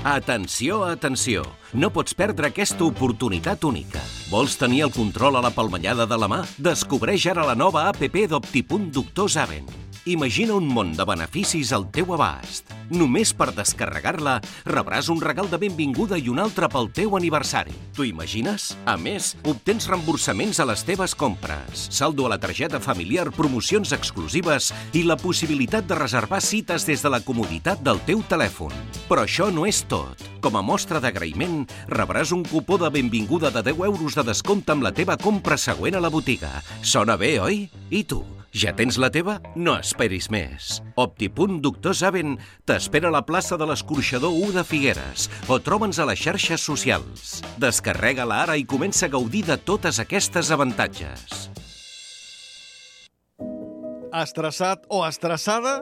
Atenció, atenció! No pots perdre aquesta oportunitat única. Vols tenir el control a la palmellada de la mà? Descobreix ara la nova app d'Optipunt Doctor Zaven. Imagina un món de beneficis al teu abast. Només per descarregar-la rebràs un regal de benvinguda i un altre pel teu aniversari. T'ho imagines? A més, obtens reemborsaments a les teves compres, saldo a la targeta familiar, promocions exclusives i la possibilitat de reservar cites des de la comoditat del teu telèfon. Però això no és tot. Com a mostra d'agraïment, rebràs un cupó de benvinguda de deu euros de descompte amb la teva compra següent a la botiga. Sona bé, oi? I tu? Ja tens la teva? No esperis més. Optipunt Doctor Zaven t'espera a la plaça de l'Escorxador u de Figueres o troba'ns a les xarxes socials. Descarrega-la ara i comença a gaudir de totes aquestes avantatges. Estressat o estressada?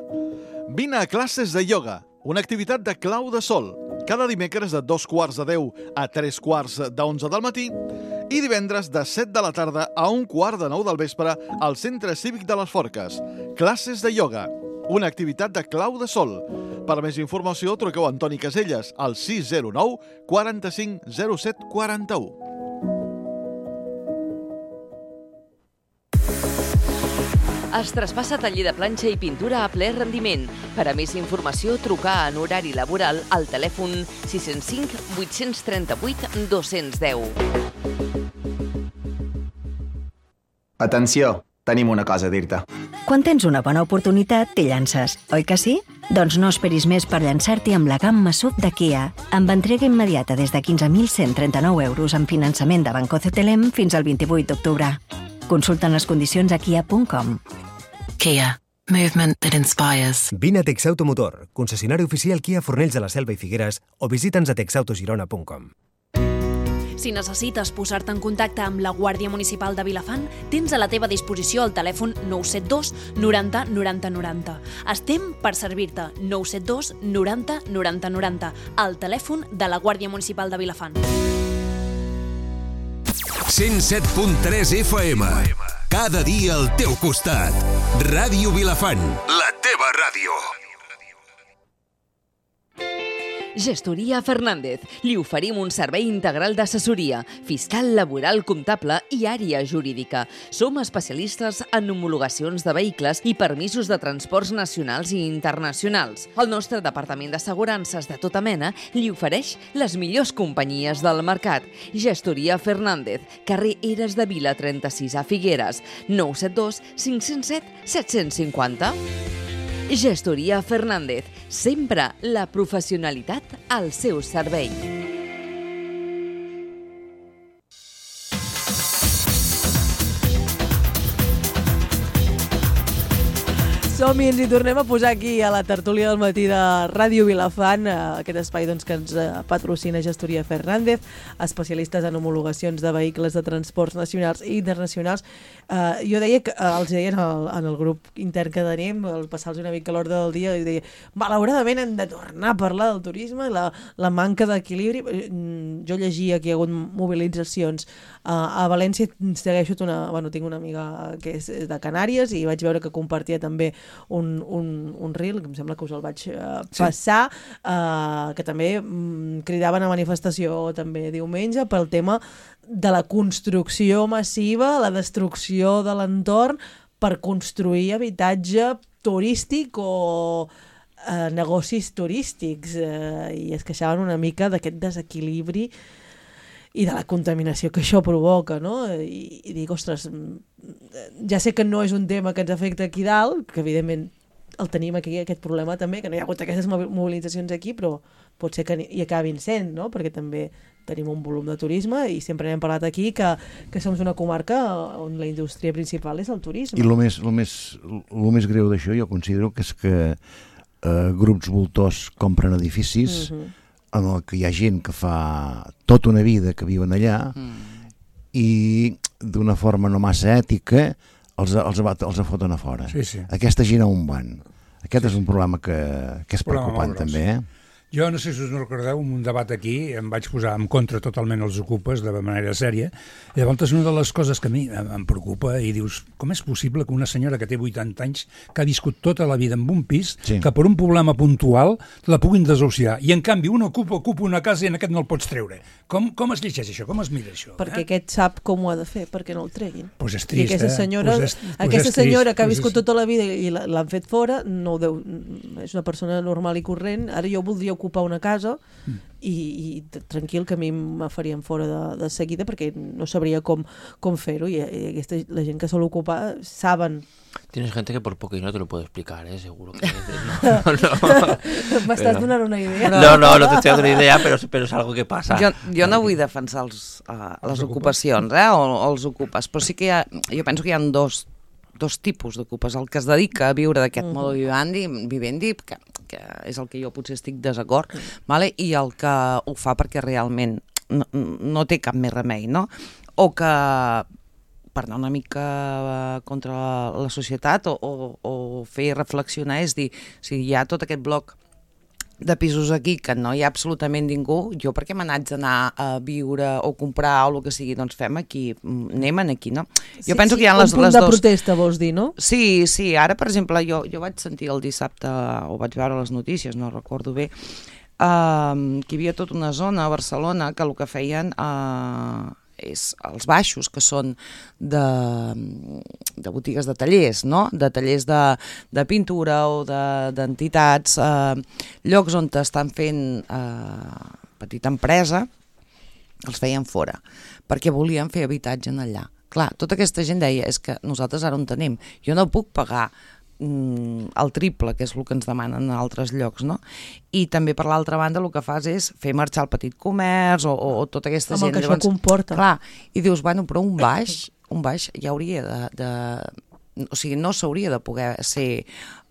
Vine a classes de ioga, una activitat de clau de sol. cada dimecres de dos quarts de deu a tres quarts d'onze del matí i divendres de set de la tarda a un quart de nou del vespre al Centre Cívic de les Forques. Classes de ioga, una activitat de clau de sol. Per més informació, truqueu a Antoni Caselles al sis zero nou quaranta-cinc zero set quaranta-u. Es traspassa taller de planxa i pintura a ple rendiment. Per a més informació, trucar en horari laboral al telèfon sis zero cinc vuit tres vuit dos zero zero. Atenció, tenim una cosa a dir-te. Quan tens una bona oportunitat, t'hi llances, oi que sí? Doncs no esperis més per llançar-t'hi amb la gamma S U V de Kia, amb entrega immediata des de quinze mil cent trenta-nou euros amb finançament de Banco C T L M fins al vint-i-vuit d'octubre. Consulten les condicions a kia punt com. Kia. Movement that inspires. Vine a Texautomotor, concessionari oficial Kia Fornells de la Selva i Figueres, o visita'ns a texautogirona punt com. Si necessites posar-te en contacte amb la Guàrdia Municipal de Vilafant, tens a la teva disposició el telèfon nou set dos noranta noranta noranta. Estem per servir-te. nou set dos noranta noranta noranta. El telèfon de la Guàrdia Municipal de Vilafant. cent set punt tres F M. Cada dia al teu costat. Ràdio Vilafant, la teva ràdio. Gestoria Fernández. Li oferim un servei integral d'assessoria, fiscal, laboral, comptable i àrea jurídica. Som especialistes en homologacions de vehicles i permisos de transports nacionals i internacionals. El nostre departament d'assegurances de tota mena li ofereix les millors companyies del mercat. Gestoria Fernández, carrer Eres de Vila trenta-sis a Figueres, nou set dos cinc zero set set cinc zero. Gestoria Fernández, sempre la professionalitat al seu servei. Som-hi, ens hi tornem a posar aquí a la tertúlia del matí de Ràdio Vilafant, aquest espai doncs, que ens patrocina Gestoria Fernández, especialistes en homologacions de vehicles de transports nacionals i internacionals. Uh, jo deia, que uh, els deia en el, en el grup intern que tenim, al passar-los una mica a l'ordre del dia, i deia, malauradament hem de tornar a parlar del turisme, la, la manca d'equilibri. Jo llegia que hi ha hagut mobilitzacions uh, a València, segueixo una, bueno, tinc una amiga que és de Canàries i vaig veure que compartia també un, un, un reel, que em sembla que us el vaig uh, passar, sí. uh, que també um, cridaven a manifestació també diumenge pel tema de la construcció massiva, la destrucció de l'entorn per construir habitatge turístic o eh, negocis turístics, eh, i es queixaven una mica d'aquest desequilibri i de la contaminació que això provoca, no? I, i dic, ostres, ja sé que no és un tema que ens afecta aquí dalt, que evidentment el tenim aquí, aquest problema també, que no hi ha hagut aquestes mobilitzacions aquí, però pot ser que hi acabin sent, no? Perquè també tenim un volum de turisme i sempre n'hem parlat aquí que, que som una comarca on la indústria principal és el turisme. I el més, lo més, lo més greu d'això jo considero que és que eh, grups voltors compren edificis uh-huh. en el que hi ha gent que fa tota una vida que viuen allà mm. i d'una forma no massa ètica els, els, els foten a fora. Sí, sí. Aquesta gent on van? Aquest sí, és un problema que, que és preocupant també, eh? Jo no sé si us no recordeu, en un debat aquí em vaig posar en contra totalment els ocupes de manera sèria. I llavors una de les coses que a mi em preocupa i dius, com és possible que una senyora que té vuitanta anys, que ha viscut tota la vida en un pis, sí. que per un problema puntual la puguin desahuciar, i en canvi un ocupa, ocupa una casa i en aquest no el pots treure. Com, com es llegeix això? Com es mira això? Perquè eh? aquest sap com ho ha de fer, perquè no el treguin. Pues és trist, I aquesta senyora, eh? Pues és, pues aquesta és senyora trist, que ha pues viscut és... tota la vida i l'han fet fora, no deu, és una persona normal i corrent. Ara jo voldria ocupar una casa mm. i, i tranquil, que a mi me farien fora de, de seguida perquè no sabria com, com fer-ho, i, i aquesta, la gent que sol ocupar saben. Tienes gente que por poco y no te lo puedo explicar, ¿eh? Seguro que... No, no, no. M'estàs donant una idea. No, no, no t'estic donant una idea, però, però és algo que passa. Jo, jo no vull defensar els, uh, les ocupacions, eh? o, o els ocupes, però sí que hi ha, jo penso que hi ha dos, dos tipus d'ocupes. El que es dedica a viure d'aquest uh-huh. modo vivendi, vivendi que, que és el que jo potser estic desacord, uh-huh. vale? I el que ho fa perquè realment no, no té cap més remei, no? O que per anar una mica contra la societat o, o, o fer reflexionar, és dir, si hi ha tot aquest bloc de pisos aquí que no hi ha absolutament ningú, jo perquè me n'haig d'anar a viure o comprar o el que sigui, doncs fem aquí, anem aquí, no? Jo sí, penso sí, que hi ha les, un punt les de dos... protesta, vols dir, no? Sí, sí, ara, per exemple, jo, jo vaig sentir el dissabte, o vaig veure les notícies, no recordo bé, uh, que hi havia tota una zona a Barcelona que el que feien... Uh, és els baixos, que són de, de botigues de tallers, no? De tallers de, de pintura o d'entitats, de, eh, llocs on estan fent eh, petita empresa, els feien fora, perquè volien fer habitatge en allà. Clar, tota aquesta gent deia, és que nosaltres ara on tenim, jo no puc pagar el triple, que és el que ens demanen en altres llocs, no? I també per l'altra banda el que fas és fer marxar el petit comerç o, o, o tota aquesta amb gent. El que Llavors, això comporta. Clar, i dius, bueno, però un baix, un baix ja hauria de... de o sigui, no s'hauria de poder ser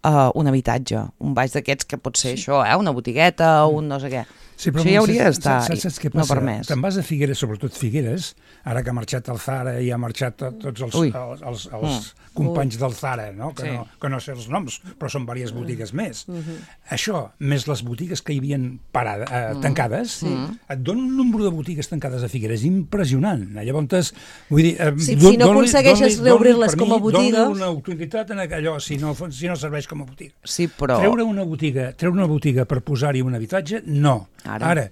uh, un habitatge, un baix d'aquests que pot ser sí. això, eh? Una botigueta o un no sé què. Sí, però això ja hauria d'estar saps, saps què no passa? permès. Te'n vas a Figueres, sobretot Figueres, ara que ha marxat el Zara i ha marxat tots els, els, els, els mm. companys del Zara, no? Que, sí. no, que no sé els noms, però són diverses botigues més. Mm -hmm. Això, més les botigues que hi havia parada, eh, mm. tancades, sí. et dona un nombre de botigues tancades a Figueres impressionant. Llavors, vull dir... Eh, sí, si no aconsegueixes reobrir-les com a botiga... Dona una utilitat en allò, si no, si no serveix com a botiga. Sí, però... Treure una botiga, treure una botiga per posar-hi un habitatge, no. Ara... Ara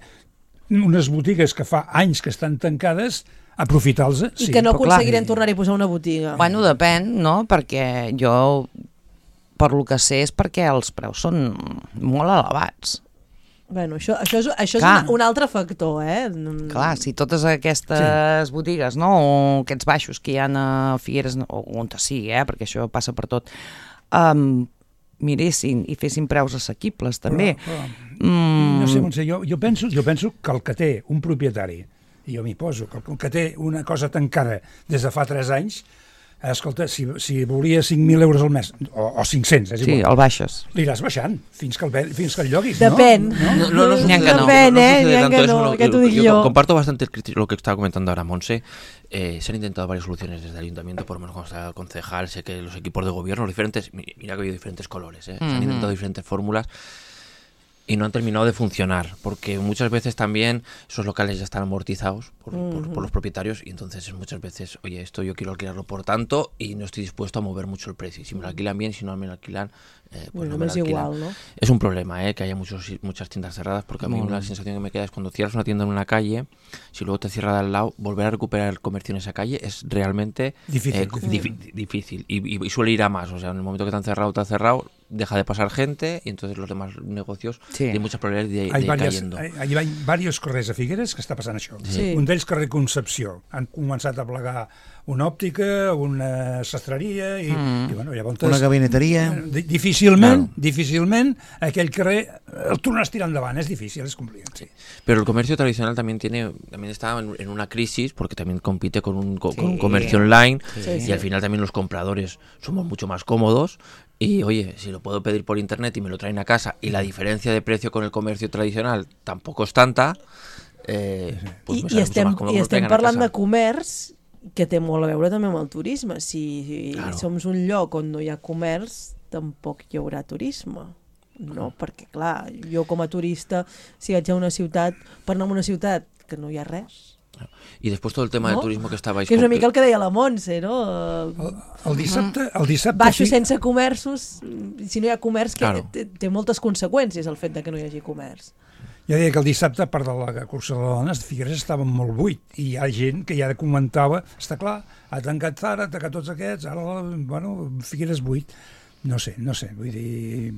unes botigues que fa anys que estan tancades, aprofitar-los. I sí, que no aconseguirem tornar-hi a posar una botiga. Bueno, depèn, no? Perquè jo, per lo que sé, és perquè els preus són molt elevats. Bueno, això, això és, això és un, un altre factor, eh? Clar, si totes aquestes sí. botigues, no? O aquests baixos que hi ha a Figueres, o on sigui, eh? Perquè això passa per tot, um, miressin i fessin preus assequibles, també. Però, però, mm. No sé, Montse, jo, jo, penso, jo penso que el que té un propietari, i jo m'hi poso, que el que té una cosa tancada des de fa tres anys, escolta, si, si volia cinc mil euros al mes, o, o cinc-cents, és igual. Sí, el baixes. L'iràs baixant, fins que el, fins que el lloguis, Depèn. ¿no? No, no, no, no, Depèn, no, eh? No, no, no, no, que tú y yo, yo. Comparto bastante el, lo que estaba comentando ahora Monse. Eh, se han intentado varias soluciones desde el ayuntamiento, por lo menos cuando está concejal, sé que los equipos de gobierno, los diferentes, mira que ha habido diferentes colores, eh, mm-hmm. se han intentado diferentes fórmulas y no han terminado de funcionar, porque muchas veces también esos locales ya están amortizados por, uh-huh. por, por los propietarios y entonces muchas veces, oye, esto yo quiero alquilarlo por tanto y no estoy dispuesto a mover mucho el precio. Si me lo alquilan bien, si no me lo alquilan, eh, pues bueno, no me lo alquilan. Igual, ¿no? Es un problema, eh, que haya muchos, muchas tiendas cerradas, porque a mí bueno. la sensación que me queda es cuando cierras una tienda en una calle, si luego te cierra de al lado, volver a recuperar el comercio en esa calle es realmente difícil, eh, difícil. Dif- difícil. Y, y, y suele ir a más, o sea, en el momento que te han cerrado, te han cerrado, deja de pasar gente y entonces los demás negocios sí. tienen muchas probabilidades de, de ir cayendo. Hi ha diversos carrers a Figueres que està passant això. Sí. Un d'ells carrer Concepció. Han començat a plegar una òptica, una sastreria i, mm. i bueno, llavors... Una gabineteria. Difícilment, claro. difícilment aquell carrer el tornes a tirar endavant, es difícil, es complicat. Sí. Pero el comercio tradicional también tiene, también está en, en una crisis porque también compite con un, con sí. un comercio online sí, y sí. al final también los compradores somos mucho más cómodos. Y oye, si lo puedo pedir por internet y me lo traen a casa y la diferencia de precio con el comercio tradicional tampoco es tanta, eh, pues I, me i estem, mucho más cómodo i que estem lo traigan a parlant casa. de comerç que té molt a veure també amb el turisme. Si, si Claro. som un lloc on no hi ha comerç, tampoc hi haurà turisme. No, perquè clar, jo com a turista, si vaig a una ciutat, per anar a una ciutat que no hi ha res... Y después todo el tema no? del turismo que estabais... Que és una con- mica el que deia la Montse, no? El, el dissabte... El dissabte Baixos fi- sense comerços, si no hi ha comerç, que Claro. té, té moltes conseqüències el fet de que no hi hagi comerç. Ja deia que el dissabte, a part de la cursa de dones, Figueres estava molt buit i hi ha gent que ja comentava, està clar, ha tancat Zara, ha tancat tots aquests, ara, bueno, Figueres buit. No sé, no sé, vull dir...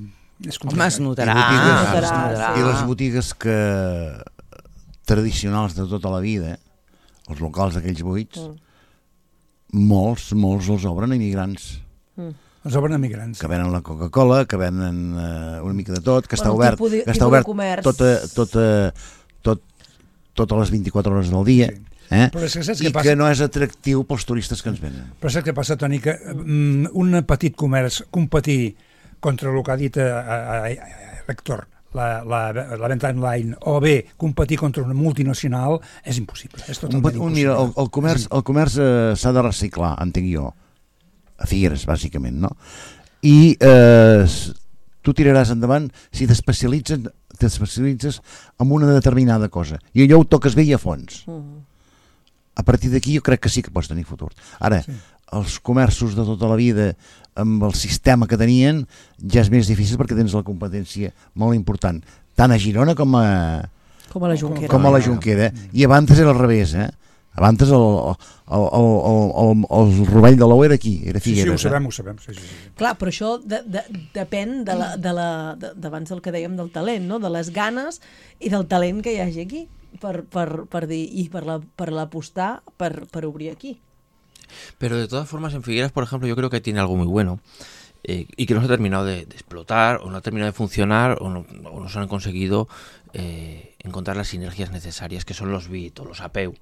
És Home, es notarà. I, botigues, es notarà. I les botigues que tradicionals de tota la vida, els locals aquells buits, mm. molts, molts els obren immigrants. Mm. Els obren emigrants. Que venen la Coca-Cola, que venen uh, una mica de tot, que Bueno, està obert, tipus de- que està tipus de obert comerç. tota, tota, tot, totes les vint-i-quatre hores del dia. Sí. Eh? Però és que saps I què passa? que no és atractiu pels turistes que ens venen. Però saps què passa, Toni? Que mm, un petit comerç competir contra el que ha dit a, a, a Héctor, la, la, la venda online, o bé competir contra una multinacional, és impossible. És Un, totalment un, impossible. mira, el, el comerç, el comerç eh, s'ha de reciclar, entenc jo, a Figueres, bàsicament, no? I eh, tu tiraràs endavant si t'especialitzen t'especialitzes en una determinada cosa, i allò ho toques bé i a fons. Uh-huh. A partir d'aquí jo crec que sí que pots tenir futur. Ara, sí. els comerços de tota la vida, amb el sistema que tenien, ja és més difícil perquè tens la competència molt important, tant a Girona com a, com a la Jonquera. Com a la Jonquera. I abans era al revés, eh? Abans el, el, el, el, el, el rovell de l'ou era aquí, era Figueres. Sí, sí, ho sabem, ho sabem. Sí, sí, sí. Clar, però això de, de, depèn de la, de la, de, d'abans del que dèiem del talent, no? De les ganes i del talent que hi hagi aquí per, per, per dir, i per la, per l'apostar per, per obrir aquí. Pero de todas formas en Figueras, por ejemplo, yo creo que tiene algo muy bueno eh, y que no se ha terminado de, de explotar o no ha terminado de funcionar o no, o no se han conseguido eh, encontrar las sinergias necesarias, que son los B I T o los A P E U,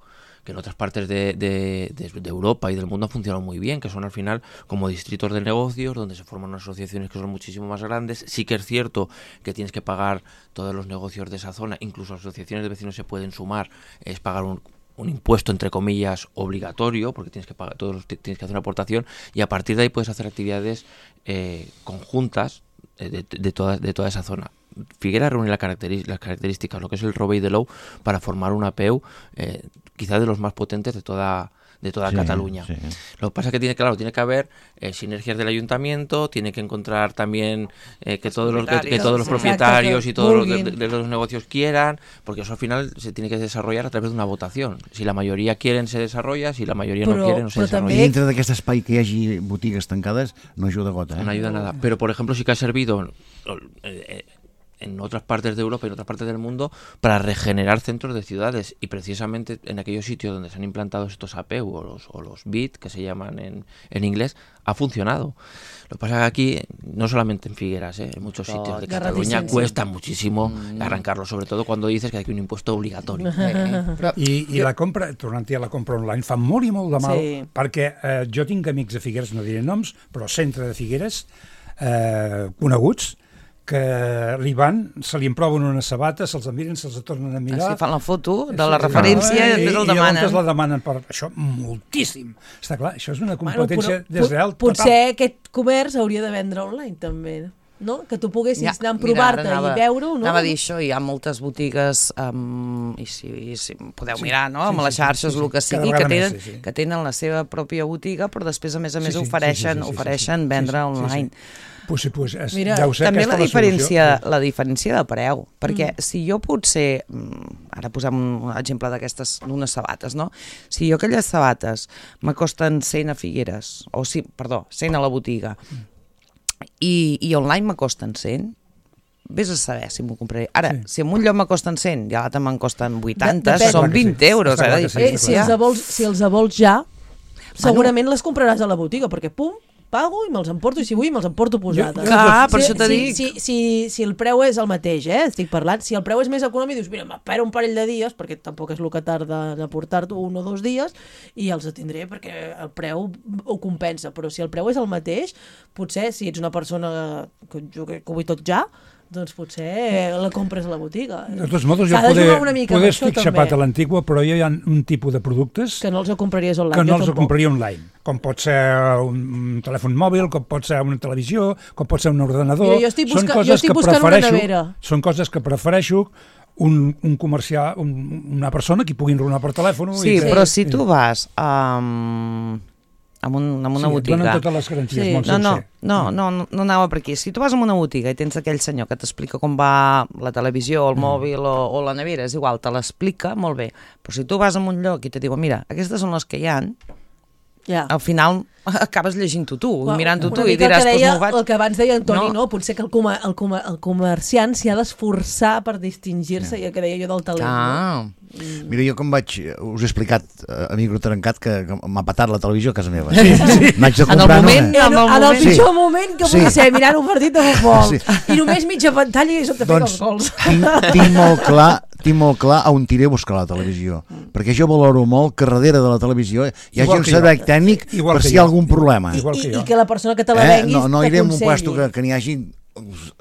que en otras partes de, de, de, de Europa y del mundo han funcionado muy bien, que son al final como distritos de negocios donde se forman unas asociaciones que son muchísimo más grandes. Sí que es cierto que tienes que pagar todos los negocios de esa zona, incluso asociaciones de vecinos se pueden sumar, es pagar un un impuesto entre comillas obligatorio, porque tienes que pagar, todos tienes que hacer una aportación, y a partir de ahí puedes hacer actividades eh, conjuntas eh, de, de, toda, de toda esa zona. Figueras reúne la caracteri- las características, lo que es el rovell de l'ou, para formar una A P E U eh, quizás de los más potentes de toda de toda sí, Cataluña. Sí. Lo que pasa es que tiene, claro, tiene que haber eh, sinergias del ayuntamiento, tiene que encontrar también eh, que, todos los, que, que todos los propietarios y todos los de, de, de los negocios quieran, porque eso al final se tiene que desarrollar a través de una votación. Si la mayoría quieren, se desarrolla, si la mayoría però, no quiere, no se desarrolla. I dintre d'aquest espai que hi hagi botigues tancades no ajuda gota. Eh? No ayuda nada. Pero, por ejemplo, sí que ha servido eh, en otras partes de Europa y en otras partes del mundo para regenerar centros de ciudades, y precisamente en aquellos sitios donde se han implantado estos A P E U o los, o los B I T, que se llaman en, en inglés, ha funcionado. Lo que pasa es que aquí, no solamente en Figueras, ¿eh? En muchos no, sitios de Cataluña cuesta muchísimo mm. arrancarlo, sobre todo cuando dices que hay un impuesto obligatorio. Eh, eh. Però, I, I la compra, tornant-hi a la compra online, fa molt i molt de mal, sí. perquè eh, jo tinc amics de Figueres, no diré noms, però centre de Figueres, eh, coneguts, que li van, se li emproven unes sabates, se'ls miren, se'ls tornen a mirar... Ah, sí, fan la foto de la referència i després el demanen. I llavors la demanen per això moltíssim. Està clar, això és una competència bueno, desreal total. Potser aquest comerç hauria de vendre online, també, no? Que tu poguessis ja, anar a provar-te i veure-ho, no? Anava a dir això, hi ha moltes botigues, um, i si, i si podeu sí, mirar, no? Sí, amb sí, les xarxes, sí, sí, el que sigui, que tenen, més, sí, sí. que tenen la seva pròpia botiga, però després, a més a més, sí, sí, ofereixen, sí, sí, sí, ofereixen sí, sí, vendre sí, sí, online. Sí, sí. Pues, pues, és, Mira, ja ho sé, també la diferència, la, la diferència de preu, perquè mm. si jo potser, ara posem un exemple d'aquestes, d'unes sabates, no? Si jo aquelles sabates m'acosten cent a Figueres, o sí, perdó, cent a la botiga, mm. i, i online m'acosten cent, vés a saber si m'ho compraré. Ara, sí. si en un lloc m'acosten cent i a l'altre me'n costen vuitanta, de, són vint sí. euros. Eh, sí, eh, si, els vols, si els vols ja, segurament bueno. les compraràs a la botiga, perquè pum, pago i me'ls emporto, i si vull me'ls emporto posades. Clar, per si, això t'ho si, dic. Si, si, si el preu és el mateix, eh, estic parlant, si el preu és més econòmic, dius, mira, m'espero un parell de dies, perquè tampoc és el que tarda de portar-t'ho un o dos dies, i els atindré perquè el preu ho compensa, però si el preu és el mateix, potser si ets una persona que jo que ho vull tot ja, doncs potser la compres a la botiga. De tots modos, jo poder, poder estic xapat a l'antigua, però hi ha un tipus de productes que no els compraries online. Que no els compraria online. Com pot ser un, un telèfon mòbil, com pot ser una televisió, com pot ser un ordenador. Mira, jo estic, busca, són jo estic buscant una nevera. Són coses que prefereixo un, un comercial, un, una persona que pugui enronar per telèfon. Sí, i però si tu vas a... Um... amb, un, amb una sí, botiga. Sí, donen totes les garanties, sí. molt no, no, sencer. No, no, no, no anava per aquí. Si tu vas a una botiga i tens aquell senyor que t'explica com va la televisió, el mm. mòbil o, o la nevera, és igual, te l'explica, molt bé. Però si tu vas a un lloc i te diuen, mira, aquestes són les que hi ha, yeah. al final acabes llegint-ho tu, well, mirant-ho tu i diràs, doncs m'ho vaig... El que abans deia Antoni, no? no? Potser que el, comer, el, comer, el comerciant s'hi ha d'esforçar per distingir-se, yeah. i el que deia jo del talent. Ah. No? Mm. Mira, jo com vaig, us he explicat uh, a micro trencat que, que m'ha patat la televisió a casa meva. Sí, sí. N'haig de comprar en el moment, una. En el, en el pitjor sí. moment que sí. puc ser mirant un partit de futbol. Sí. I només mitja pantalla i sota doncs, fent els gols. Tinc, tinc molt clar tinc molt clar on tiré a buscar la televisió, mm. perquè jo valoro molt que darrere de la televisió hi hagi un servei tècnic per si hi ha algun problema. I, i, I que la persona que te la vengui eh? no, no iré en un puesto que, que n'hi hagi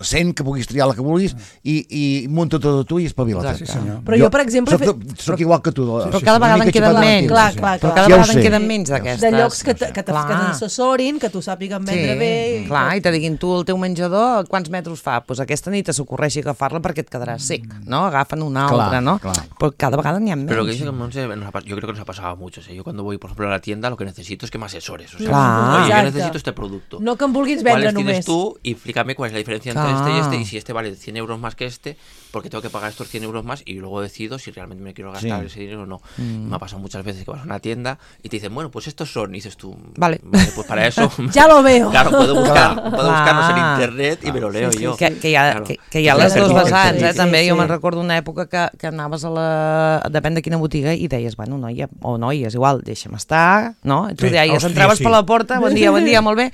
cent, que puguis triar la que vulguis, i, i munta tot a tu i espavila't. Sí, senyor. Però jo, per exemple... Soc, soc igual que tu. Però cada vegada en queden menys. Clar, clar, Però clar. cada Ja ho vegada en sé. queden menys d'aquestes. De llocs que te- que te- que Clar. t'assessorin, que tu sàpiguen vendre bé. i Clar, que- i te diguin tu el teu menjador, quants metres fa? Doncs aquesta nit s'ocorreixi agafar-la perquè et quedarà sec, ¿no? Agafen una Clar, altra, ¿no? clar. Però cada vegada n'hi ha Pero lo que menys. dice que Monse, nos ha pas- yo creo que nos ha pasado a muchos. ¿eh? Yo cuando voy, por ejemplo, a la tienda, lo que necesito es que me asesores. O sea, Claro. oye, yo Exacte. necesito este producto. No que em vulguis vendre ¿Cuáles només. tienes tú? Y explícame cuál es la diferencia entre Claro. este y este. Y si este vale cien euros más que este, porque tengo que pagar estos cien euros más y luego decido si realmente me quiero gastar Sí. ese dinero o no. Mm. Me ha pasado muchas veces que vas a una tienda y te dicen, bueno, pues estos son. Y dices tú, Vale. pues para eso. Ya lo veo. Claro, puedo, buscar, puedo buscarlos en Clar. internet y me lo leo Sí, sí, yo. Que, que, hi ha, Claro. que, que hi ha Sí, les sí, dues sí, vessants, sí, eh? sí, També sí. jo me'n recordo una època que, que anaves a la... depèn de quina botiga i deies, bueno, noia, o noia, és igual, deixa'm estar, no? I tu Sí, deies, hòstia, entraves sí. per la porta, bon dia, bon dia, molt bé.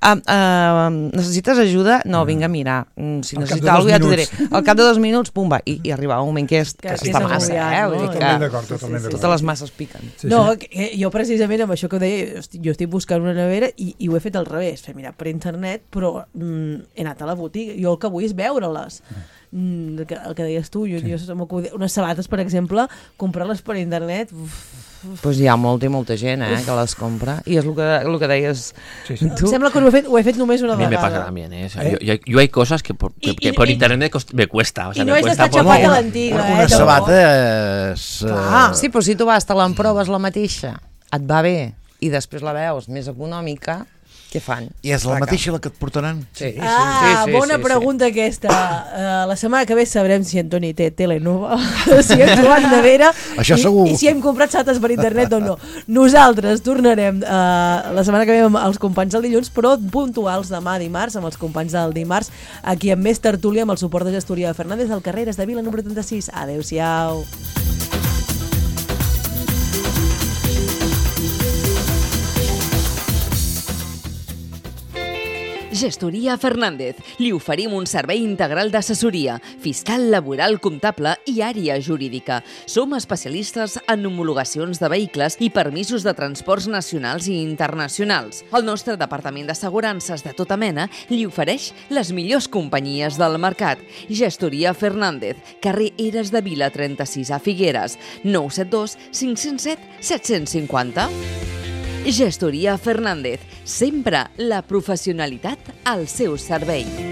Uh, uh, necessites ajuda? No, vinga, mira, mm, si Al cap de necessita dos alguna cosa ja t'ho diré. minuts. Al cap de dos minuts, pum, va, i, i arribava un moment que, és, que, Que està és massa, agobiant, eh? no? Vull dir Totalment que d'acord, totalment d'acord. totes les masses piquen. Sí, No, sí. que jo precisament amb això que deia, hosti, jo estic buscant una nevera i, i ho he fet al revés, fer mirar per internet, però mm, he anat a la botiga. Jo el que vull és veure-les. Mm, el, que, el que deies tu, jo, sí. jo m'acudia- unes sabates, per exemple, comprar-les per internet, uf, Pues hi ha molta i molta gent eh, que les compra. I és el que, el que deies Sí, sí. em tu. sembla que ho he fet, ho he fet només una A mí me vegada. pasa también, ¿eh? O sea, ¿Eh? Yo, yo, yo hay cosas que por, que, Y- que y- por y- internet me, cost- me cuesta. O sea, I no me és cuesta d'estar por- xapat a Una- l'antiga, una, eh? una tampoc. sabata és... Clar. eh, Sí, però si tu vas, te l'emproves la mateixa, et va bé, i després la veus més econòmica, què fan? I és la Saca. mateixa la que et portaran? Sí, Ah, sí, sí, bona sí, pregunta aquesta. Uh, la setmana que ve sabrem si Antoni té Telenova, si hem trobat nevera Això i, segur. i si hem comprat sates per internet o no. Nosaltres tornarem uh, la setmana que ve amb els companys del dilluns, però puntuals demà dimarts, amb els companys del dimarts, aquí amb més tertúlia, amb el suport de Gestoria de Fernández, al carrer de Vila número trenta-sis. Adéu-siau. Gestoria Fernández. Li oferim un servei integral d'assessoria, fiscal, laboral, comptable i àrea jurídica. Som especialistes en homologacions de vehicles i permisos de transports nacionals i internacionals. El nostre departament d'assegurances de tota mena li ofereix les millors companyies del mercat. Gestoria Fernández, carrer Eres de Vila trenta-sis a Figueres, nou set dos cinc zero set set cinc zero. Gestoria Fernández, sempre la professionalitat al seu servei.